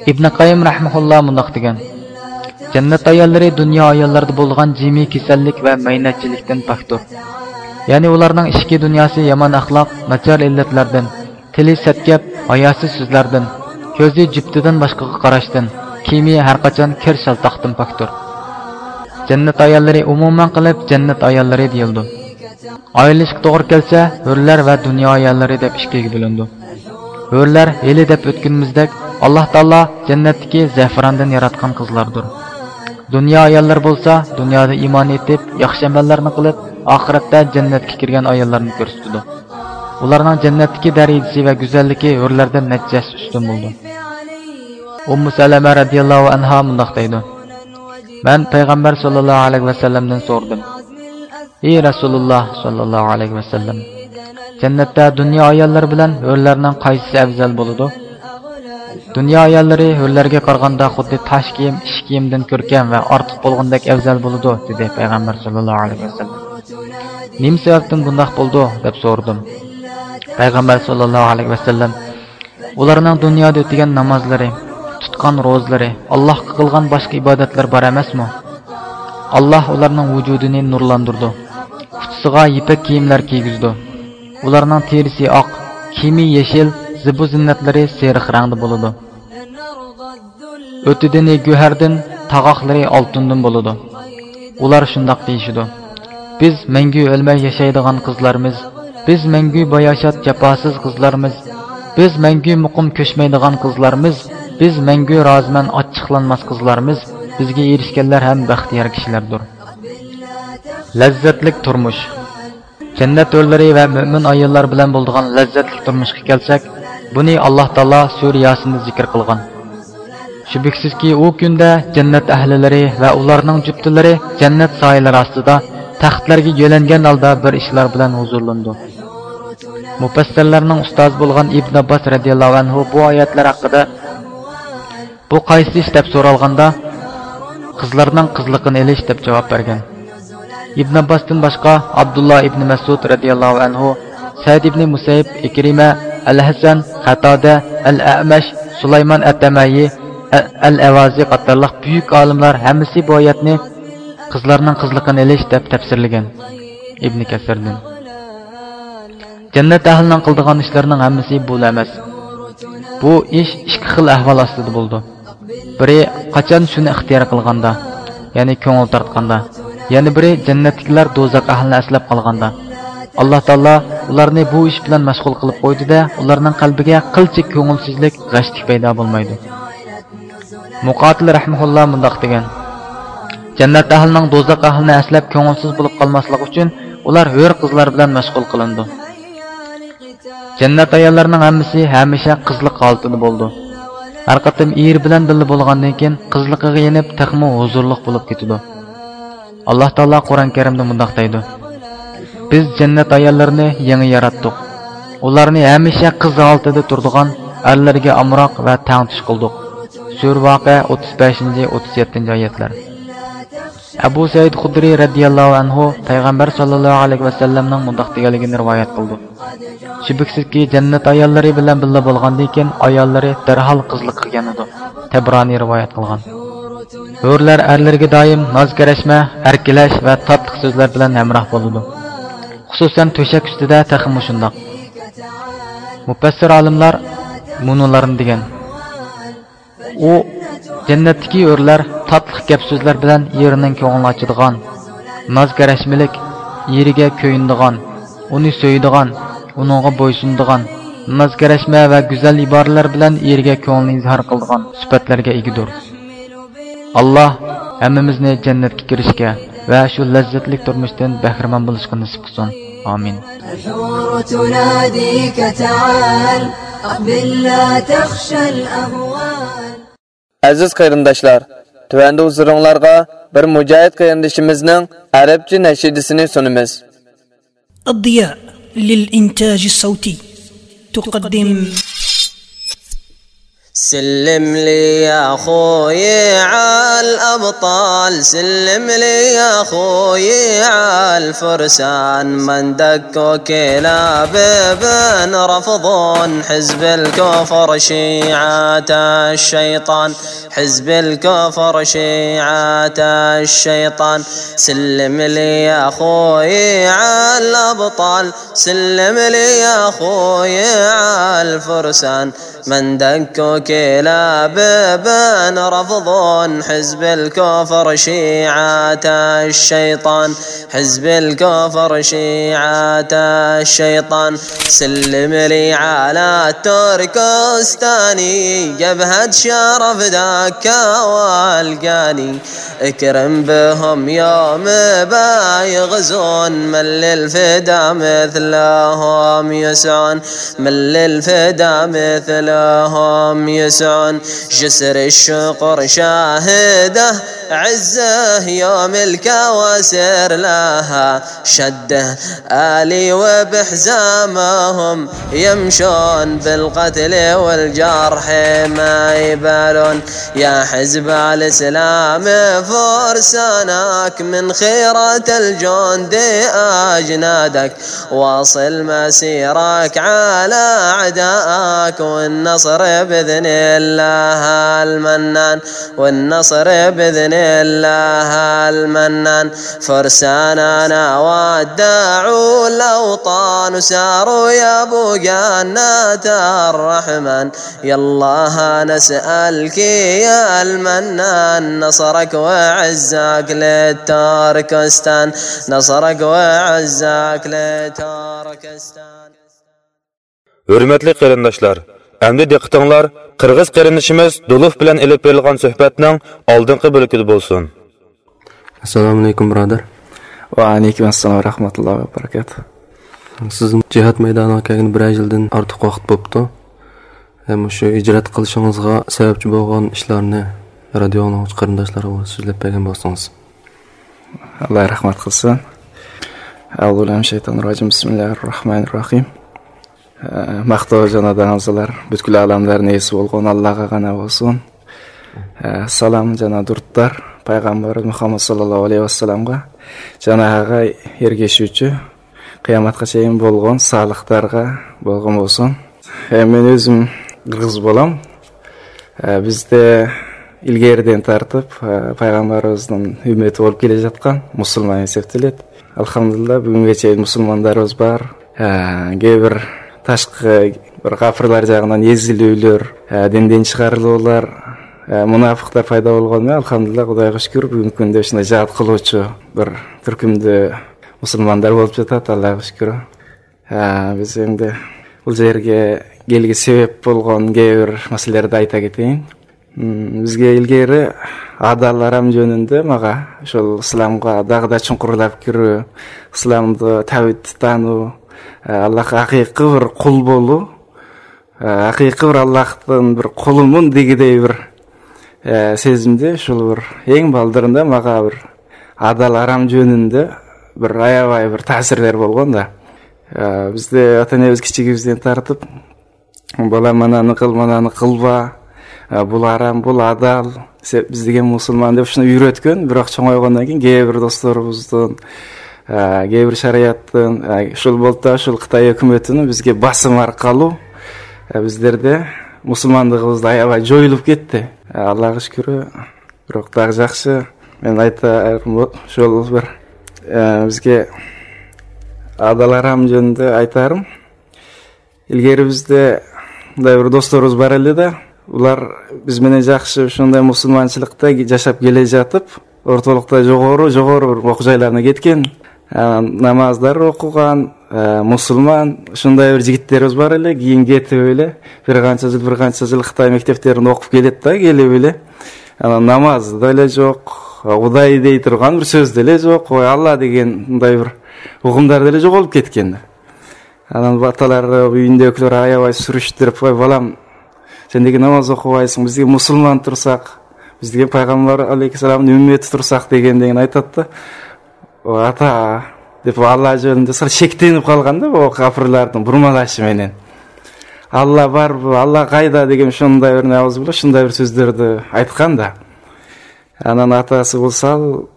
ئىبن قەييىم رەھمەھۇللا مۇنداق دېگەن: جەننەت ئاياللىرى دۇنيا ئاياللىرىدا بولىدىغان جىمى كېسەللىك ۋە مەينەتچىلىكتىن پاكتۇر. يەنى ئۇلارنىڭ ئىچكى دۇنياسى يامان ئەخلاق، ناچار ئىللەتلەردىن، تىلى سەت گەپ، ھاياسىز سۆزلەردىن، كۆزى جۈپتىدىن باشقىغا قاراشتىن، كىيىمى ھەرقاچان كىر شالتاقتىن پاكتۇر. جەننەت ئاياللىرى ئومۇمەن قىلىپ جەننەت ئاياللىرى دېيىلىدۇ. ئايرىلىشقا توغرا كەلسە، ھۆرلەر ۋە دۇنيا ئاياللىرى دەپ ئىككىگە بۆلۈنىدۇ. ھۆرلەر ھېلى دەپ ئۆتكىنىمىزدەك، ئاللاھ تائالا جەننەتتىكى زەفىراندىن ياراتقان قىزلاردۇر. دۇنيا ئاياللىرى بولسا دۇنيادا ئىمان ئېيتىپ، ياخشى ئەمەللەرنى قىلىپ، ئاخىرەتتە جەننەتكە كىرگەن ئاياللارنى كۆرسىتىدۇ. ئۇلارنىڭ جەننەتتىكى دەرىجىسى ۋە گۈزەللىكى ھۆرلەردىن نەچچە ھەسسە ئۈستۈن بولىدۇ. ئۇممۇ سەلەمە رەزىياللاھۇ ئەنھا مۇنداق دەيدۇ: مەن پەيغەمبەر ساللاللاھۇ ئەلەيھى ۋەسەللەمدىن سورىدىم: ئى رەسۇلۇللاھ ساللاللاھۇ ئەلەيھى ۋەسەللەم، جەننەتتە دۇنيا ئاياللىرى بىلەن ھۆرلەرنىڭ قايسىسى ئەۋزەل بولىدۇ؟ دۇنيا ئاياللىرى ھۆرلەرگە قارىغاندا خۇددى تاش كىيىم، ئىش كىيىمدىن كۆركەم ۋە ئارتۇق بولغاندەك ئەۋزەل بولىدۇ، دېدى پەيغەمبەر ساللاللاھۇ ئەلەيھى ۋەسەللەم. نېمە سەۋەبتىن بۇنداق بولىدۇ؟ دەپ سورىدىم. پەيغەمبەر ساللاللاھۇ ئەلەيھى ۋەسەللەم: ئۇلارنىڭ دۇنيادا ئۆتىگەن نامازلىرى، تۇتقان روزىلىرى، ئاللاھقا قىلغان باشقا ئىبادەتلىرى بار ئەمەسمۇ؟ ئاللاھ ئۇلارنىڭ ۋۇجۇدىنى نۇرلاندۇرىدۇ. ئۇچىسىغا يىپەك كىيىملەر كىيگۈزىدۇ. ئۇلارنىڭ تېرىسى ئاق، كىيىمى يېشىل، زىبۇ زىننەتلىرى سېرىق رەڭدە بولىدۇ. ئۆتىدىنى گۆھەردىن، تاغاقلىرى ئالتۇندىن بولىدۇ. ئۇلار شۇنداق دېيىشىدۇ: بىز مەڭگۈ ئۆلمەي ياشايدىغان قىزلارمىز، بىز مەڭگۈ باياشات جاپاسىز قىزلارمىز، بىز مەڭگۈ مۇقىم كۆچمەيدىغان قىزلارمىز، بىز مەڭگۈ رازىمەن ئاچچىقلانماس قىزلارمىز، بىزگە ئېرىشكەنلەر ھەم بەختىيار كىشىلەردۇر. لەززەتلىك تۇرمۇش. جەننەت ھۆرلىرى ۋە مۆمىن ئاياللار بىلەن بولىدىغان لەززەتلىك تۇرمۇشقا كەلسەك، بۇنى ئاللاھ تائالا سۈرە ياسىندا زىكىر قىلغان. شۈبھىسىزكى، ئۇ كۈندە جەننەت ئەھلىلىرى ۋە ئۇلارنىڭ جۈپتىلىرى جەننەت سايىلىرى ئاستىدا تەختلەرگە يۆلەنگەن ھالدا بىر ئىشلار بىلەن ھۇزۇرلىنىدۇ. مۇپەسسىرلەرنىڭ ئۇستازى بولغان ئىبن ئابباس رەزىياللاھۇ ئەنھۇ بۇ ئايەتلەر ھەققىدە، بۇ قايسى ئىش دەپ سورالغاندا، قىزلارنىڭ قىزلىقىنى ئېلىش دەپ جاۋاب بەرگەن. ئىبن ئابباستىن باشقا، ئابدۇللا ئىبن مەسئۇد رەزىياللاھۇ ئەنھۇ، سەئىد ئىبن مۇسەييىب، ئىكرىمە، ئەل ھەسەن، قەتادە، ئەل ئەمەش، سۇلايمان ئەتەمەيى، ئە-، ئەل ئەۋازى قاتارلىق بۈيۈك ئالىملار ھەممىسى بۇ ئايەتنى قىزلارنىڭ قىزلىقىنى ئېلىش دەپ تەپسىرلىگەن. ئىبن كەسىردىن. جەننەت ئەھلىنىڭ قىلىدىغان ئىشلىرىنىڭ ھەممىسى بۇلا ئەمەس. بۇ ئىش ئىككى خىل ئەھۋال ئاستىدا بولىدۇ. بىرى، قاچان شۇنى ئىختىيار قىلغاندا، يەنى كۆڭۈل تارتقاندا، يەنە بىرى، جەننەتتىكىلەر دوزاخ ئەھلىنى ئەسلەپ قالغاندا. ئاللاھ تائالا ئۇلارنى بۇ ئىش بىلەن مەشغۇل قىلىپ قويدى-دە، ئۇلارنىڭ قەلبىگە قىلچە كۆڭۈلسىزلىك، غەشلىك پەيدا بولمايدۇ. مۇقاتىل رەھمەھۇللا مۇنداق دېگەن: جەننەت ئەھلىنىڭ دوزاخ ئەھلىنى ئەسلەپ كۆڭۈلسىز بولۇپ قالماسلىقى ئۈچۈن ئۇلار ھۆر قىزلار بىلەن مەشغۇل قىلىنىدۇ. جەننەت ئاياللىرىنىڭ ھەممىسى ھەمىشە قىزلىق ھالىتىدە بولىدۇ. ھەر قېتىم ئېرى بىلەن بىللە بولغاندىن كېيىن قىزلىقىغا يېنىپ تېخىمۇ ھۇزۇرلۇق بولۇپ كېتىدۇ. ئاللاھ تائالا قۇرئان كەرىمدە مۇنداق دەيدۇ: بىز جەننەت ئاياللىرىنى يېڭى ياراتتۇق. ئۇلارنى ھەمىشە قىز ھالىتىدە تۇرىدىغان ئەرلەرگە ئامراق ۋە تەڭتۇش قىلدۇق. سۈرە ۋەقە، ئوتتۇز بەشىنچى، ئوتتۇز يەتتىنچى ئايەتلەر. ئەبۇ سەئىد خۇدرى رەزىياللاھۇ ئەنھۇ پەيغەمبەر ساللاللاھۇ ئەلەيھى ۋەسەللەمنىڭ مۇنداق دېگەنلىكىنى رىۋايەت قىلىدۇ: شۈبھىسىزكى، جەننەت ئاياللىرى بىلەن بىللە بولغاندىن كېيىن ئاياللىرى دەرھال قىزلىققا يانىدۇ. تەبرانى رىۋايەت قىلغان. ھۆرلەر ئەرلىرىگە دائىم ناز-كەرەشمە، ئەركىلەش ۋە تاتلىق سۆزلەر بىلەن ھەمراھ بولىدۇ. خۇسۇسەن تۆشەك ئۈستىدە تېخىمۇ شۇنداق. مۇپەسسىر ئالىملار مۇنۇلارنى دېگەن: ئۇ جەننەتتىكى ھۆرلەر تاتلىق گەپ-سۆزلەر بىلەن ئېرىنىڭ كۆڭلىنى ئاچىدىغان، ناز-كەرەشمىلىك، ئېرىگە كۆيۈنىدىغان، ئۇنى سۆيىدىغان، ئۇنىڭغا بويسۇنىدىغان، ناز-كەرەشمە ۋە گۈزەل ئىبارىلەر بىلەن ئېرىگە كۆڭلىنى ئىزھار قىلىدىغان سۈپەتلەرگە ئىگىدۇر. ئاللاھ ھەممىمىزنى جەننەتكە كىرىشكە ۋە شۇ لەززەتلىك تۇرمۇشتىن بەھرىمەن بولۇشقا نېسىپ قىلسۇن. ئامىن. الحور تناديك تعال، أقبل لا تخشى الأهوال. ئەزىز قېرىنداشلار، تۆۋەندە ھۇزۇرۇڭلارغا بىر مۇجاھىد قېرىندىشىمىزنىڭ ئەرەبچە نەشىدىسىنى سۇنىمىز. الضياء للإنتاج الصوتي تقدم. سلم لي يا خوي عالأبطال، سلم لي يا خوي عالفرسان، من دكوا كلاب بن رفضون، حزب الكفر شيعة الشيطان، حزب الكفر شيعة الشيطان. سلم لي يا خوي عالأبطال، سلم لي يا خوي عالفرسان، من دكوا كلاب بن رفضون، حزب الكفر شيعة الشيطان، حزب الكفر شيعة الشيطان. سلم لي على التركستاني، جبهة شرف دكا والقاني، اكرم بهم يوم بايغزون، من للفدا مثلهم يسعون، من للفدا مثلهم يسعون. جسر الشقر شاهده عزه، يوم الكواسر لها شده، آلي وبحزامهم يمشون، بالقتل والجرح ما يبالون. يا حزب الإسلام فرسانك، من خيرة الجند أجنادك، واصل مسيرك على أعدائك، والنصر بإذن الله المنان، والنصر بإذن الله المنان. فرساننا ودعوا الأوطان، ساروا يبوا جنة الرحمن، يا الله نسألك يا المنان، نصرك وعزك للتركستان، نصرك وعزك للتركستان. ھۆرمەتلىك قېرىنداشلار، ئەمدى دىققىتىڭلار قىرغىز قېرىندىشىمىز دۇلۇف بىلەن ئېلىپ بېرىلغان سۆھبەتنىڭ ئالدىنقى بۆلىكىدە بولسۇن. ئەسسالامۇئەلەيكۇم، بۇرادەر. ۋەئەلەيكۇم ئەسسالام ۋە رەھمەتۇللاھى ۋە بەرىكاتۇھ. سىزنىڭ جىھاد مەيدانىغا كەلگىلى بىرەر يىلدىن ئارتۇق ۋاقىت بوپتۇ. ھەم مۇشۇ ھىجرەت قىلىشىڭىزغا سەۋەبچى بولغان ئىشلارنى رادىيو ئاڭلىغۇچى قېرىنداشلارغا سۆزلەپ بەرگەن بولسىڭىز. ئاللا رەھمەت قىلسۇن. أعوذ بالله من الشيطان الرجيم. بسم الله الرحمن الرحيم. ئە، ماختاۋ جانابىڭىزلار، پۈتكۈل ئالەملەرنىڭ ئىگىسى بولغان ئاللاغا غەنا بولسۇن. ئە، سالام جانا دۇرۇتلار پەيغەمبىرىمىز مۇھەممەد ساللاللاھۇ ئەلەيھى ۋەسەللەمگە، جانابىغا ئەگىشىۋچى قىيامەتكە چېيىن بولغان سالىھلارغا بولغان بولسۇن. ئە، مەن ئۆزۈم قىرغىز بالام. ئە، بىزدە ئىلگىرىدىن تارتىپ، ئە، پەيغەمبىرىمىزنىڭ ئۈممىتى بولۇپ كېلىۋاتقان مۇسۇلمان ھېسابلىنىدۇ. ئەلھەمدۇلىللا، بۈگۈنگىچە مۇسۇلمانلىرىمىز بار. ھە، گەي بىر تاشقى بىر كاپىرلار جاغىنان يېزىلىۋېلىر، ھە، دىندىن چىقىرىلىۋالار، ھە، مۇناپىقلار پەيدا بولغانمۇ، ئەلھەمدۇلىللا، خۇدايغا شۈكۈر، بۈگۈنكى كۈندە شۇنداق جىھاد قىلغۇچى بىر تۈركۈمدە مۇسۇلمانلار بولۇپ كېتىۋاتىدۇ، ئاللاغا شۈكۈر. ھە، بىز ئەمدى بۇ يەرگە كەلگىلى سەۋەب بولغان گەي بىر مەسىلىلەرنى ئېيتىپ كېتەي. مم، بىزگە ئىلگىرى ئادالار ھەم جۆنۈندە ماڭا شۇ ئىسلامغا داغدا چوڭقۇرلاپ كىرىپ، ئىسلامدا تەۋھىد تۇتانۇ، ئە، ئاللاھقا ھەقىقىي بىر قۇل بولۇ، ئە، ھەقىقىي بىر ئاللاھتىن بىر قۇلۇمۇن دېگۈدەك بىر، ئە، سېزىمدە شۇ بىر ئەڭ بالدۇرىندا ماڭا بىر ئادالار ھەم جۆنۈندە بىر ئاياۋاي بىر تەسىرلەر بولغاندا. ئە، بىزدە ئاتا-ئانىمىز كىچىكىمىزدىن تارتىپ، بالا مانانى قىل، مانانى قىلما، ئە، بۇلار ھەم بۇلار ئادال، سەن بىز دېگەن مۇسۇلمان دەپ شۇنى ئۆگەتكەن. بىراق چوڭايغاندىن كېيىن گەي بىر دوستلىرىمىزدىن، ئە، گەي بىر شارائىتتىن، ئە، شۇ بولتا شۇ خىتاي ھۆكۈمىتىنىڭ بىزگە باسىمى ئارقىلىق، ئە، بىزلەردە مۇسۇلمانلىقىمىز ئاياۋاي جويۇلۇپ كەتتى. ئە، ئاللاغا شۈكۈر، بىراق تېخى ياخشى. مەن ئېيتارىم شۇ بىر، ئە، بىزگە ئادالار ھەم جۆنۈندە ئېيتارىم. ئىلگىرى بىزدە Мындай бир досторубуз бар эле да. Булар биз менен жакшы ушундай мусулманчылыкта жашап келе жатып, ортолукта жогору, жогору бир окуу жайларына кеткен. Э, намаздар окуган, э, мусулман, ушундай бир жигиттерибиз бар эле, кийин кетип эле, бир канча жыл, бир канча жыл Кытай мектептеринде окуп келет да, келип эле. Анан намаз да эле жок, Кудай дей турган бир сөз деле жок, ой, Алла деген мындай бир угумдар деле жоголуп кеткен. Анан аталары, үйүндөгүлөр аябай сүрүштүрүп, ой, балам, сен деген намаз окубайсың, биз деген мусулман турсак, биз деген пайгамбар алейхиссаламдын үммети турсак дегенден айтат да. О, ата, деп Алла жөнүндө сал шектенип калган да, бу капырлардын бурмалашы менен. Алла барбы, Алла кайда деген ушундай бир набыз боло, ушундай бир сөздөрдү айткан да. Анан атасы болсо ал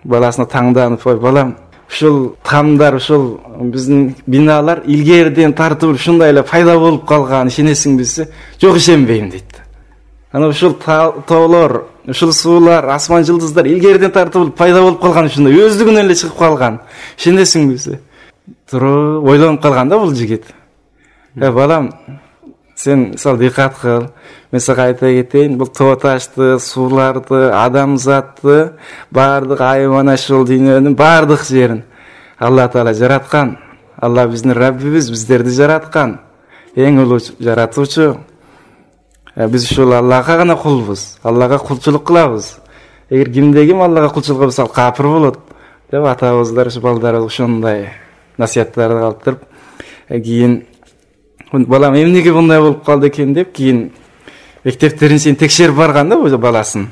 баласына таңданып, ой, балам, ушул тамдар, ушул биздин биналар илгериден тартып ушундай эле пайда болуп калганын ишенесиңби десе, жок, ишенбейм дейт. Анан ушул та-, тоолор, ушул суулар, асман жылдыздар илгериден тартып пайда болуп калган, ушундай өздүгүнөн эле чыгып калган. Ишенесиңби десе, туруп ойлонуп калган да бул жигит. Э, балам, сен мисалы дыккат кыл. Мен сага айта кетейин, бул тоо ташты, сууларды, адамзатты, баардык айван, ушул дүйнөнүн баардык жерин Алла Таала жараткан. Алла биздин Раббибиз, биздерди жараткан. Эң улуу жаратуучу. Э, биз ушул Аллага гана кулбуз. Аллага кулчулук кылабыз. Эгер кимде ким Аллага кулчулук кылса, ал капыр болот. Деп атабыздар ушу балдарыбызга ушундай насияттарды калтырып, э, кийин, балам, эмнеге мындай болуп калды экен деп, кийин мектептерин чейин текшерип барган да бул баласын.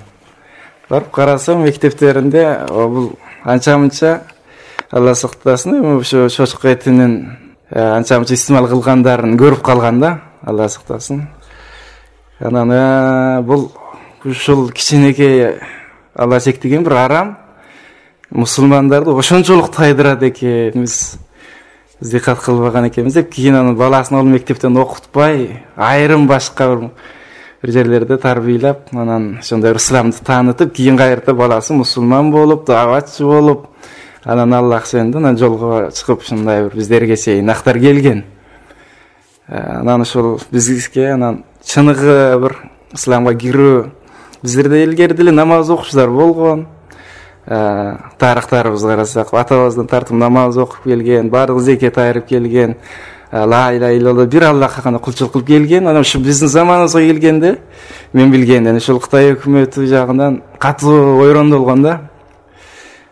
Барып карасам, мектептеринде, о, бул анча-мынча, Алла сактасын, эми ушу чочко этинин, э, анча-мынча истимал кылгандарын көрүп калган да, Алла сактасын. Анан, э, бул ушул кичинекей, Алла чектеген бир арам мусулмандарды ошончолук тайдырат экенбиз. Биз дыккат кылбаган экенбиз деп, кийин анан баласын ал мектептен окутпай, айрым башка бир, бир жерлерде тарбиялап, анан ошондой ысламды таанытып, кийин кайры баласы мусулман болуп, дааватчы болуп, анан Аллах сенди, анан жолго чыгып, ушундай бир биздерге чейин актар келген. Э, анан ушул бизге анан чыныгы бир ысламга кирүү, биздерде илгери деле намаз окуучулар болгон. Э, тарыхтарыбызга карасак, атабыздан тартып намаз окуп келген, бардык зекет айырып келген, э, ла иляха иллалла, бир Аллахка гана кулчулук кылып келген. Анан ушу биздин заманыбызга келгенде, мен билгенден, ушул Кытай өкмөтү жагынан катуу ойрондолгон да.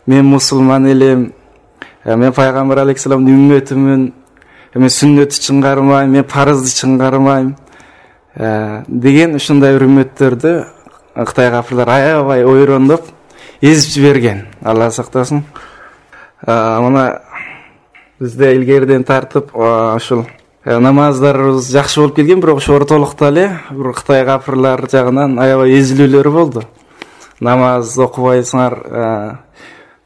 Мен мусулман элем, э, мен пайгамбар алейхиссаламдын үмметимин, э, мен сүннөттү чыңгармайм, мен парызды чыңгармайм, э, деген ушундай бир үммөттөрдү Кытай капырлар аябай ойрондоп, эзип жиберген. Алла сактасын. Э, мына бизде илгериден тартып, э, ушул, э, намаздарыбыз жакшы болуп келген, бирок ошо ортолукта эле бир Кытай капырлар жагынан аябай эзилүүлөрү болду. Намаз окубайсыңар, э,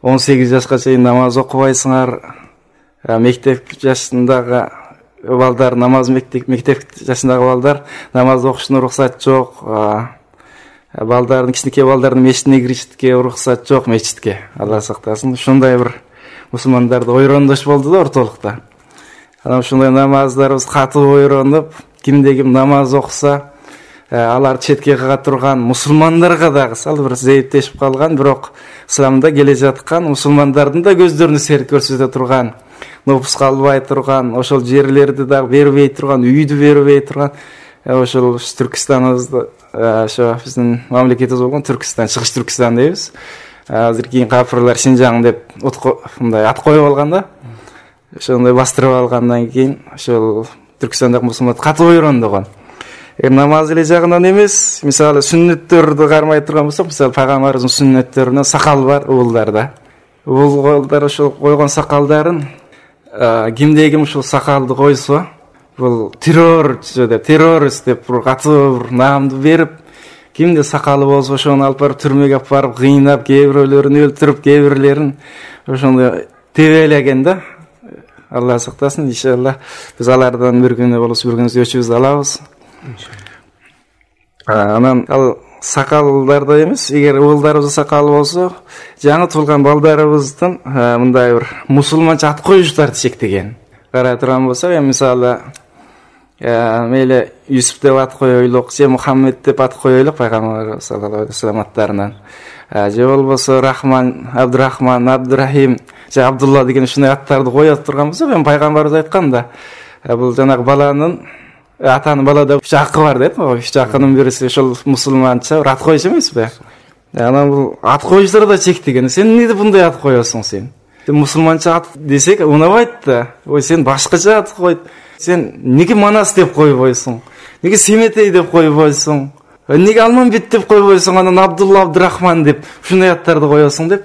он сегиз жашка чейин намаз окубайсыңар. Э, мектеп жашындагы балдар намаз, мектеп, мектеп жашындагы балдар намаз окушуна уруксат жок. Э, балдардын, кичинекей балдардын мечитине киришке уруксат жок, мечитке. Алла сактасын. Ушундай бир мусулмандарды ойрондош болду да ортолукта. Анан ушундай намаздарыбыз катуу ойронуп, кимде ким намаз окуса, э, алар четке кага турган мусулмандарга дагы сал бир зейиптешип калган, бирок ысламда келе жаткан мусулмандардын да көздөрүнө серт көрсөтө турган, нопуска албай турган, ошол жерлерди дагы бербей турган, үйдү бербей турган, э, ошол Түркүстаныбызды, э, ошо биздин мамлекетибиз болгон Түркүстан, Чыгыш Түркүстан дейбиз. Э, азыр кийин капырлар Шинжаң деп ут ко-, мындай ат коюп алган да. Ошондой бастырып алгандан кийин ошол Түркүстандагы мусулман катуу ойрондогон. Эми намаз эле жагынан эмес, мисалы, сүннөттөрдү кармай турган болсок, мисалы, пайгамбарыбыздын сүннөттөрүнөн сакал бар угулдарда. Угулдар ошол койгон сакалдарын, э, кимде ким ушул сакалды койсо, бул террорчу деп, террорист деп бир катуу бир наамды берип, кимде сакалы болсо, ошону алып барып, түрмөгө алып барып, кыйнап, кээ бирөөлөрүн өлтүрүп, кээ бирлерин ошондой тебелеген да. Алла сактасын, иншалла. Биз алардан бир күнү болсо, бир күнү өчүбүз алабыз. А, анан ал сакалдарда эмес, эгер угулдарыбыздын сакалы болсо, жаңы туулган балдарыбыздын, а, мындай бир мусулманча ат коюучуларды чектеген. Карай турган болсок, эми мисалы, يا، مەيلى، يۈسۈپ دەپ ئات قويايلۇق، يا مۇھەممەد دەپ ئات قويايلۇق پەيغەمبەر ساللاللاھۇ ئەلەيھى ۋەسەللەم ئاتلىرىنى. ھە، يا بولمىسا راخمان، ئابدۇراخمان، ئابدۇراھىم، يا ئابدۇللا دېگەن شۇنداق ئاتلارنى قويۇپ تۇرغان بولسا، مەن پەيغەمبىرىمىز ئيتقاندا، ھە، بۇ جاناق بالانىڭ، ئاتا-ئانا بالىدا ئۈچ ھەققى بار دەيدۇ. ئۈچ ھەققىنىڭ بىرىسى شۇ مۇسۇلمانچە ئات قويۇش ئەمەسمۇ؟ يەنى بۇ ئات قويۇشلىرىدا چەك دېگەن. سەن نېگە بۇنداق ئات قويۇسەن سەن؟ سەن مۇسۇلمانچە ئات دېسەك ئۇنىمايدۇ. ۋاي، سەن باشقىچە ئات قوي. سەن نېگە ماناس دەپ قويۇۋايسەن؟ نېگە سېمەتەي دەپ قويۇۋايسەن؟ نېگە ئالمامبېت دەپ قويۇۋايسەن؟ ئاندىن ئابدۇللا، ئابدۇراخمان دەپ شۇنداق ئاتلارنى قويۇسەن دەپ.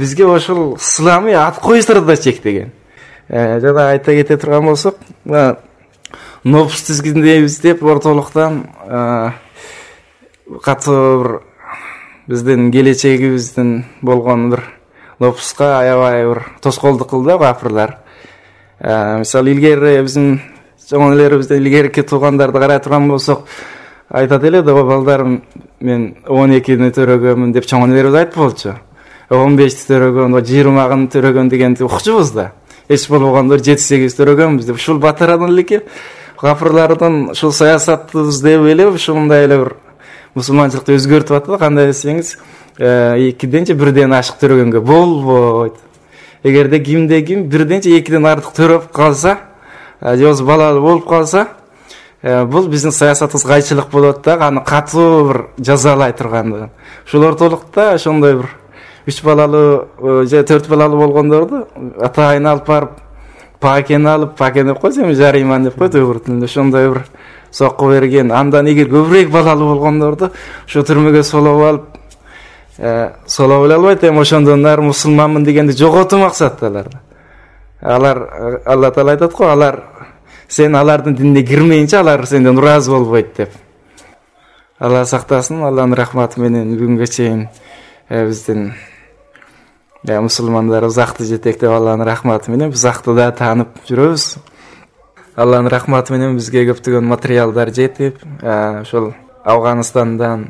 بىزگە ئاشۇ ئىسلامىي ئات قويۇشلىرىدا چەك دېگەن. ئە، جانا ئايتا كېتە تۇرغان بولساق، نوپۇس تىزگىنى دەيمىز دەپ ئورتالىقتان، ئە، قاتتىق بىر بىزدىن كېلەچىكىمىزدىن بولغان بىر نوپۇسقا ئاياۋاي بىر توسقۇنلۇق قىلدى كاپىرلار. ئە، مىسال، ئىلگىرى بىزنىڭ چوڭلىرىمىزدىن ئىلگىرىكى تۇغانلاردا قاراپ تۇرغان بولساق، ئايتاتتى، بالىلارىم، مەن ئون ئىككىنى تۆرىگەنمەن دەپ چوڭلىرىمىز ئېيتىپ بولدى. ئون بەشنى تۆرىگەن، يىگىرمىنى تۆرىگەن دېگەن ئوخشىمىزدا. ھېچ بولمىغاندا يەتتە سەككىز تۆرىگەنمىز دەپ. شۇ باتىرانلىكى كاپىرلاردىن شۇ سىياسەتنى ئىزدەپ ئېلىپ، شۇنداق بىر مۇسۇلمانچىلىقنى ئۆزگەرتىۋاتىدۇ. قانداق دېسىڭىز، ئە، ئىككىدىنچە بىردىن ئاشىق تۆرىگەنگە بولمايدۇ. ئەگەردە كىمدە كىم بىردىنچە ئىككىدىن ئارتۇق تۆرەپ قالسا، ئە، ياز بالالىق بولۇپ قالسا، ئە، بۇ بىزنىڭ سىياسىتىمىزغا قايچىلىق بولىدۇ، ئانا قاتتىق بىر جازالاي تۇرغاندا. شۇلار تولۇقتا شۇنداي بىر ئۈچ بالالىق، ئە، تۆت بالالىق بولغاندا ئاتا ئاينى ئالىپ بارىپ، پاكىنى ئالىپ، پاكىنى دەپ قويسا، جەرىمان دەپ قويدى ئۇيغۇر تىلىدا. شۇنداي بىر سوققا بەرگەن. ئاندىن ئېگىر كۆپرەك بالالىق بولغاندا شۇ تۈرمىگە سولاپ ئالىپ، ئە، سولاپ ئالالمايتتى. ئەمما شۇندىن ئار مۇسۇلمانمەن دېگەندە جوغاتتى مەقسەتتە ئۇلار. ئۇلار، ئاللا تائالا ئېيتىدىغۇ، ئۇلار، سەن ئۇلارنىڭ دىنىغا كىرمىگىنچە ئۇلار سەندىن رازى بولمايدۇ دەپ. ئاللا ساقلىسۇن، ئاللانىڭ رەھمىتى بىلەن بۈگۈنگىچە، ئە، بىزدىن، ئە، مۇسۇلمانلار ئۇزاقتا يېتەكلەپ، ئاللانىڭ رەھمىتى بىلەن بىز ھەقتىدا تانىپ يۈرىمىز. ئاللانىڭ رەھمىتى بىلەن بىزگە كۆپلىگەن ماتېرىياللار يېتىپ، ئە، شۇ ئافغانىستاندىن،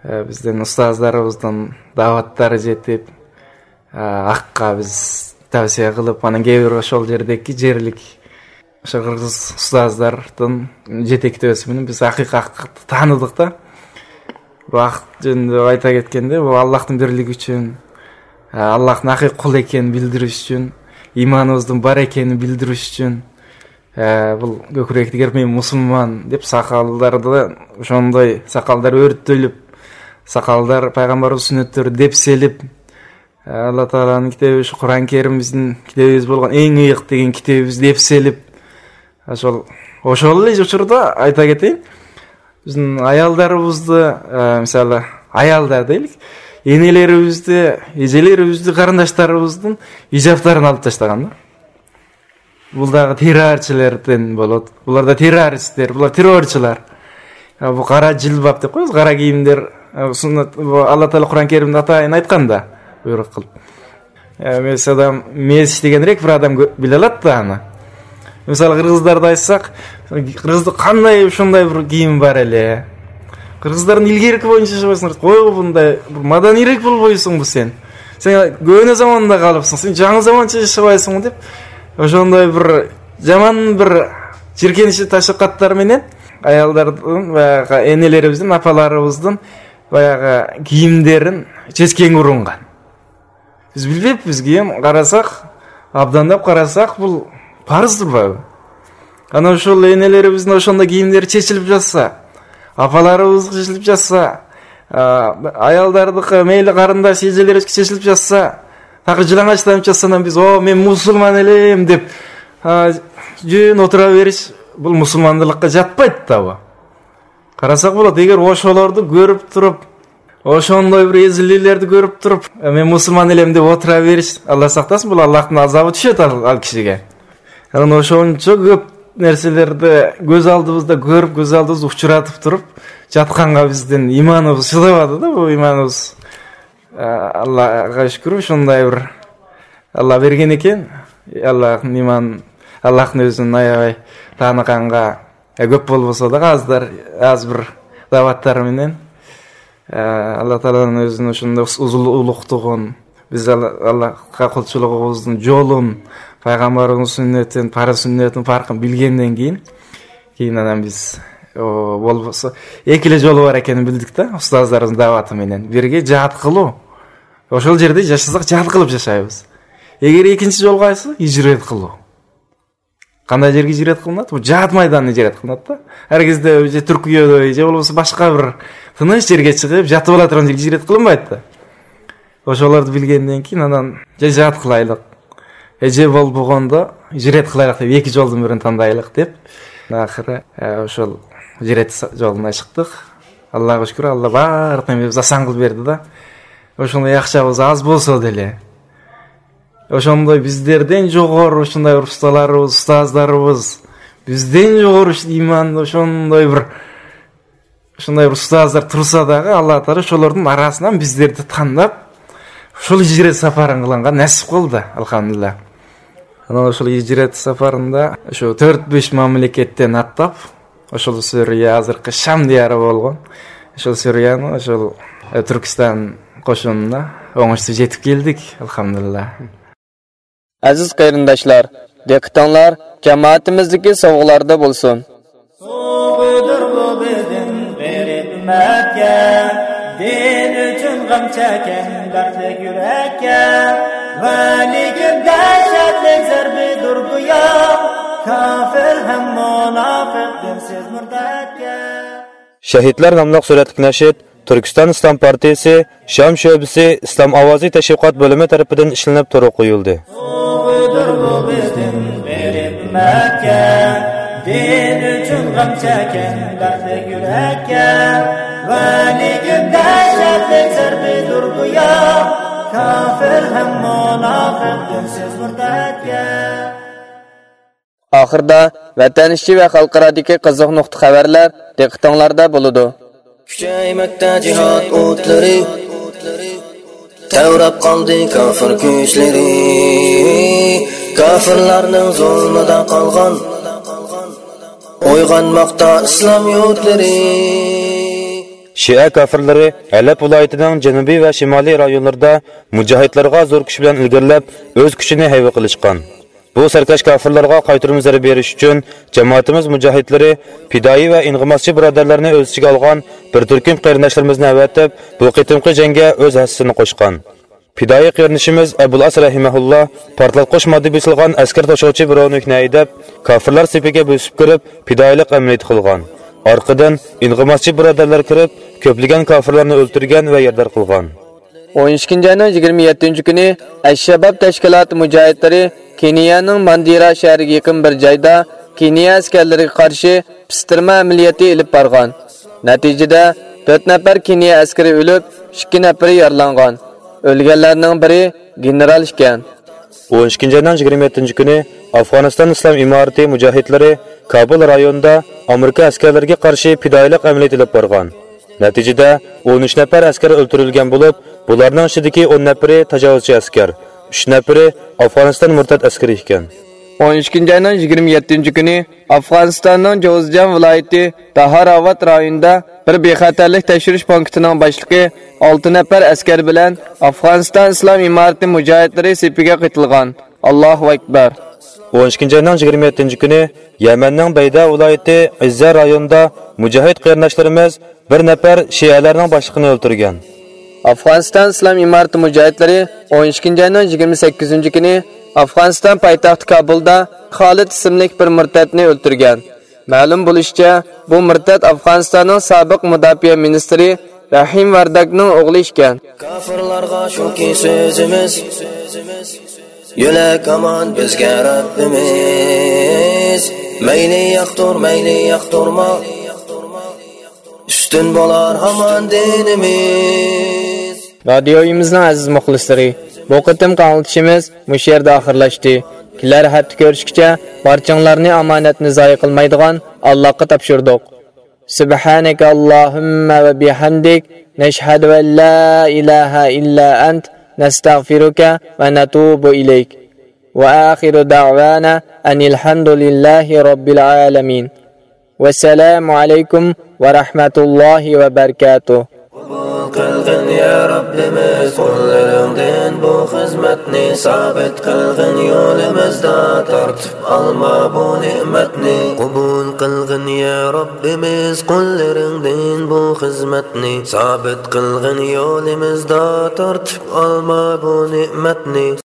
ئە، بىزدىن ئۇستازلىرىمىزدىن دەۋەتلەر يېتىپ، ئە، ھەققە بىز تەۋسىيە قىلىپ، ئانا گەۋر شول يەردىكى جېرلىك شۇ قىرغىز ئۇستازلاردىن يېتەكلەپ ئۆتسىمۇ بىز ھەقىقەت تانىدۇق-دا. بۇ ھەق ئۈچۈن ئايتا كەتكەندە، بۇ ئاللاھنىڭ بىرلىكى ئۈچۈن، ئە، ئاللاھنىڭ ھەقىقىي قۇلى ئىكەننى بىلدۈرۈش ئۈچۈن، ئىمانىمىزنىڭ بار ئىكەننى بىلدۈرۈش ئۈچۈن، ئە، بۇ كۆكرەكتىكى مەن مۇسۇلمان دەپ ساقاللاردا شۇنداي ساقاللار ئۆرتۈلۈپ، ساقاللار پەيغەمبەر سۈننەتلىرى دەپ سېلىپ، ئە، ئاللا تائالانىڭ كىتابى، شۇ قۇرئان كەرىم بىزنىڭ كىتابىمىز بولغان ئەڭ ئېيىق دېگەن كىتابىمىزنى دەپ سېلىپ، شۇ، ئوشۇنلا ئۇچۇردا ئايتا كېتەي. بىزنىڭ ئاياللىرىمىزدا، ئە، مىسالى، ئاياللار دەيلىك، ئىنىلىرىمىزدە، ئىجىلىرىمىزدە، قېرىنداشلىرىمىزدىن ھىجابلارنى ئېلىپ تاشلىغاندا. بۇلار تېررورچىلاردىن بولىدۇ. بۇلاردا تېررورىستلار، بۇلار تېررورچىلار. يا، بۇ قارا جىلباب دەپ قويىمىز، قارا كىيىملەر، ئە، سۈننەت، بۇ ئاللا تائالا قۇرئان كەرىمدە ئاتايىن ئېيتقاندا، بۇيرۇق قىلىپ. ئە، مەسىلەن، مېسىچ دېگەنرەك بىر ئادەم گۆ-، بىلەلەتتى ئانا. مىسال، قىرغىزلاردا ئېيتساق، قىرغىزدا قانداق شۇنداي بىر كىيىم بار ئەلى. قىرغىزلارنىڭ ئىلگىرىكى بويىچە ئىشلەۋاتساڭ، قوي بۇنداي بىر مەدەنىيرەك بولۇپ قويسۇڭ بۇ سەن. سەن گۆنە زاماندا قالىپسەن، سەن جاڭى زامانچە ئىشلەۋاتساڭ دەپ، شۇنداي بىر يامان بىر چىركىنىشلىك تەشۋىقاتلار مەنەن ئاياللاردىن ۋە ئەنىلىرىمىزدىن، ئاپىلىرىمىزدىن باياغى كىيىملىرىنى چەچكەنگە ئۇرۇنغان. بىز بىلمەيمىز، بىزگە قارىساق، ئابدان دەپ قارىساق، بۇ پارىزدۇر بۇ. ئانا شۇ ئەنىلىرىمىزنىڭ شۇنداق كىيىملىرى چېچىلىپ ياتسا، ئاپىلىرىمىزغا چېچىلىپ ياتسا، ئاياللاردىكى مەيلى قېرىنداش ئىجىلىرىمىزگە چېچىلىپ ياتسا، تاقى جىلاڭاچلارنى چاتسا بىز، ئو، مەن مۇسۇلمان ئەلىم دەپ، جۈن ئولتۇرۇۋېرىش، بۇ مۇسۇلمانلىققا جاتمايدۇ بۇ. قارىساق بولىدۇ، ئەگەر ئوشۇلارنى كۆرۈپ تۇرۇپ، ئوشۇنداي بىر ئەزىللىكلەرنى كۆرۈپ تۇرۇپ، مەن مۇسۇلمان ئەلىم دەپ ئولتۇرۇۋېرىش، ئاللا ساقلىسۇن، بۇ ئاللانىڭ ئازابى چۈشىدۇ ئايال كىشىگە. يەنى ئوشۇنچە كۆپ نەرسىلەرنى كۆز ئالدىمىزدا كۆرۈپ، كۆز ئالدىمىزدا ئۇچرىتىپ تۇرۇپ، جاتقانغا بىزدىن ئىمانىمىز چىداۋاتىدۇ، بۇ ئىمانىمىز. ئە، ئاللاغا شۈكۈر، شۇنداي بىر ئاللا بەرگەن ئىكەن. ئاللا ئىمان، ئاللانى ئۆزىنى ئاياۋاي تانىغانغا، ئە، كۆپ بولمىسا دا، ئازدۇر، ئاز بىر دەۋەتلەر مەنەن. ئە، ئاللا تائالانىڭ ئۆزىنى شۇنداق ئۇزۇن ئۇلۇغ تۇغۇن. بىز ئاللا، ئاللاغا قۇلچىلىقىمىزنىڭ جولىنى، پەيغەمبىرىمىزنىڭ سۈننىتىنى، پارىز سۈننىتىنىڭ پەرقىنى بىلگەندىن كېيىن، كېيىن ئانام بىز، ئۇ، بولمىسا، ئېكىلى جولى بار ئىكەننى بىلدۇق-تە، ئۇستازلارنىڭ داۋاتى بىلەن. بىرگە جىھاد قىلۇ. ئوشۇل يەردە ياشىساق، جىھاد قىلىپ ياشايمىز. ئەگەر ئىككىنچى جولغا ئايسا، ھىجرەت قىلۇ. قانداق يەرگە ھىجرەت قىلىنىدۇ؟ بۇ جىھاد مەيدانىدا ھىجرەت قىلىنىدۇ. ھەرگىزدە ئۆزى تۈركىيەدە يا بولمىسا باشقا بىر تىنچ يەرگە چىقىپ، ياتىۋالاتىدىغان يەرگە ھىجرەت قىلىنمايدۇ. ئوشۇلارنى بىلگەندىن كېيىن، ئانام، جىھاد قىلايلىق. ھەججى بول بولغاندا ھىجرەت قىلايلىق دەپ، ئەككى جولدىن بىرىنى تاندايلىق دەپ. ئاخىرى، ئە، ئوشۇل ھىجرەت جولىنى چىقتۇق. ئاللاغا شۈكۈر، ئاللا بارلىقىنى بىز ئاسان قىلىپ بەردى-دە. ئوشۇندا ياخشى ئاز بولسا دەيلى. ئوشۇنداي بىزلەردىن جۇغۇر، ئوشۇنداي ئۇستازلارىمىز، ئۇستازلىرىمىز. بىزدىن جۇغۇر ئىش ئىمان، ئوشۇنداي بىر، ئوشۇنداي بىر ئۇستازلار تۇرسا دەيلى، ئاللا تائالا شۇلارنىڭ ئاراسىدىن بىزلەرنى تانداپ، شۇ ھىجرەت ساپارىنى قىلغانغا نەسىپ قىلدى، ئەلھەمدۇلىللا. ئانا شۇ ھىجرەت ساپارىندا شۇ تۆت بەش مەملىكەتتىن ئاتلاپ، ئوشۇل سۈرىيە، ھازىرقى شام دىيارى بولغان، ئوشۇل سۈرىيەنىڭ، ئوشۇل، ئە، تۈركىستان قوشۇنىدا ئوڭۇشسىز يېتىپ كەلدۇق، ئەلھەمدۇلىللا. ئەزىز قېرىنداشلار، دىققىتىڭلار جامائىتىمىزدىكى سوۋغىلاردا بولسۇن. سوۋغىدۇر بۇ بىزدىن غېرىب ئۈممەتكە، دىن ئۈچۈن غەم چەككەن دەردلىك يۈرەككە. ۋە لېكىن دەھشەتلىك زەربىدۇر گويا، كاپىر ھەم مۇناپىق دىنسىز مۇرتەتكە. شەھىدلەر ناملىق سۈرەتلىك نەشىد تۈركىستان ئىسلام پارتىيىسى شام شۆبىسى ئىسلام ئاۋازى تەشۋىقات بۆلۈمى تەرىپىدىن ئىشلىنىپ تورغا قويۇلدى. سوۋغىدۇر بۇ بىزدىن غېرىب ئۈممەتكە، دىن ئۈچۈن غەم چەككەن دەردلىك يۈرەككە. ۋە لېكىن دەھشەتلىك زەربىدۇر گويا، كاپىر ھەم مۇناپىق دىنسىز مۇرتەتكە. ئاخىرىدا ۋەتەن ئىچى ۋە خەلقئارادىكى قىزىق نۇقتا خەۋەرلەر دىققىتىڭلاردا بولىدۇ. كۈچەيمەكتە جىھاد ئوتلىرى، تەۋرەپ قالدى كافىر كۈچلىرى. كافىرلارنىڭ زۇلمىدا قالغان، ئويغانماقتا ئىسلام يۇرتلىرى. شىئە كافىرلىرى ھەلەب ۋىلايىتىنىڭ جەنۇبىي ۋە شىمالىي رايونلىرىدا مۇجاھىدلارغا زور كۈچ بىلەن ئىلگىرىلەپ، ئۆز كۈچىنى ھەيۋە قىلىشقان. بۇ سەركەش كافىرلارغا قايتۇرما زەربە بېرىش ئۈچۈن جامائىتىمىز مۇجاھىدلىرى پىدائىي ۋە ئىنغىماسچى بۇرادەرلەرنى ئۆز ئىچىگە ئالغان بىر تۈركۈم قېرىنداشلىرىمىزنى ئەۋەتىپ، بۇ قېتىمقى جەڭگە ئۆز ھەسسىسىنى قوشقان. پىدائىي قېرىندىشىمىز ئەبۇل ئاس رەھىمەھۇللا پارتلاتقۇچ ماددا بېسىلغان ئەسكەر توشۇغۇچى برونوفنى ھەيدەپ، كافىرلار سېپىگە بۆسۈپ كىرىپ، پىدائىيلىق ئەمەلىيىتى قىلغان. ئارقىدىن ئىنغىماسچى بۇرادەرلەر كىرىپ، كۆپلىگەن كافىرلارنى ئۆلتۈرگەن ۋە يارىدار قىلغان. ئون ئىككىنچى ئاينىڭ يىگىرمە يەتتىنچى كۈنى ئەششەباب تەشكىلاتى مۇجاھىدلىرى كېنىيەنىڭ ماندېرا شەھىرىگە يېقىن بىر جايدا كېنىيە ئەسكەرلىرىگە قارشى پىستىرما ئەمەلىيىتى ئېلىپ بارغان. نەتىجىدە، تۆت نەپەر كېنىيە ئەسكىرى ئۆلۈپ، ئىككى نەپىرى يارىلانغان. ئۆلگەنلەرنىڭ بىرى گېنېرال ئىكەن. ئون ئىككىنچى ئاينىڭ يىگىرمە يەتتىنچى كۈنى ئافغانىستان ئىسلام ئىمارىتى مۇجاھىدلىرى كابۇل رايونىدا ئامېرىكا ئەسكەرلىرىگە قارشى پىدائىيلىق ئەمەلىيىتى ئېلىپ بارغان. نەتىجىدە، ئون ئۈچ نەپەر ئەسكەر ئۆلتۈرۈلگەن بولۇپ، بۇلارنىڭ ئىچىدىكى ئون نەپىرى تاجاۋۇزچى ئەسكەر، ئۈچ نەپىرى ئافغانىستان مۇرتەت ئەسكىرى ئىكەن. ئون ئىككىنچى ئاينىڭ يىگىرمە يەتتىنچى كۈنى ئافغانىستاننىڭ جوزجان ۋىلايىتى داھاراۋات رايونىدا بىر بىخەتەرلىك تەكشۈرۈش پونكىتىنىڭ باشلىقى ئالتە نەپەر ئەسكەر بىلەن ئافغانىستان ئىسلام ئىمارىتى مۇجاھىدلىرى سېپىگە قېتىلغان. ئاللاھۇ ئەكبەر! ئون ئىككىنچى ئاينىڭ يىگىرمە يەتتىنچى كۈنى يەمەننىڭ بەيدە ۋىلايىتى ئىززە رايونىدا مۇجاھىد قېرىنداشلىرىمىز بىر نەپەر شىئەلەرنىڭ باشلىقىنى ئۆلتۈرگەن. ئافغانىستان ئىسلام ئىمارىتى مۇجاھىدلىرى ئون ئىككىنچى ئاينىڭ يىگىرمە سەككىزىنچى كۈنى ئافغانىستان پايتەختى كابۇلدا خالىد ئىسىملىك بىر مۇرتەتنى ئۆلتۈرگەن. مەلۇم بولۇشىچە، بۇ مۇرتەت ئافغانىستاننىڭ سابىق مۇداپىئە مىنىستىرى رەھىم ۋەرداكنىڭ ئوغلى ئىكەن. كافىرلارغا شۇكى سۆزىمىز، يۆلەك ئامان بىزگە رەببىمىز. مەيلى ياقتۇر، مەيلى ياقتۇرما، ئۈستۈن بولار ھامان دىنىمىز. رادىيويىمىزنىڭ ئەزىز مۇخلىسلىرى، بۇ قېتىمقى ئاڭلىتىشىمىز مۇشۇ يەردە ئاخىرلاشتى. كېلەر ھەپتە كۆرۈشكىچە بارچىڭلارنى ئامانەتنى زايە قىلمايدىغان ئاللاغا تاپشۇردۇق. سبحانك اللهم وبحمدك، نشهد أن لا إله إلا أنت، نستغفرك ونتوب إليك. وآخر دعوانا أن الحمد لله رب العالمين. والسلام عليكم ورحمة الله وبركاته. قوبۇل قىلغىن يا رەببىمىز قۇللىرىڭدىن بۇ خىزمەتنى، سابىت قىلغىن يولىمىزدا، تارتىپ ئالما بۇ نېمەتنى. قوبۇل قىلغىن قوللىرىڭدىن بۇ خىزمەتنى، سابىت قىلغىن يولىمىزدا، تارتىپ ئالما بۇ نېمەتنى.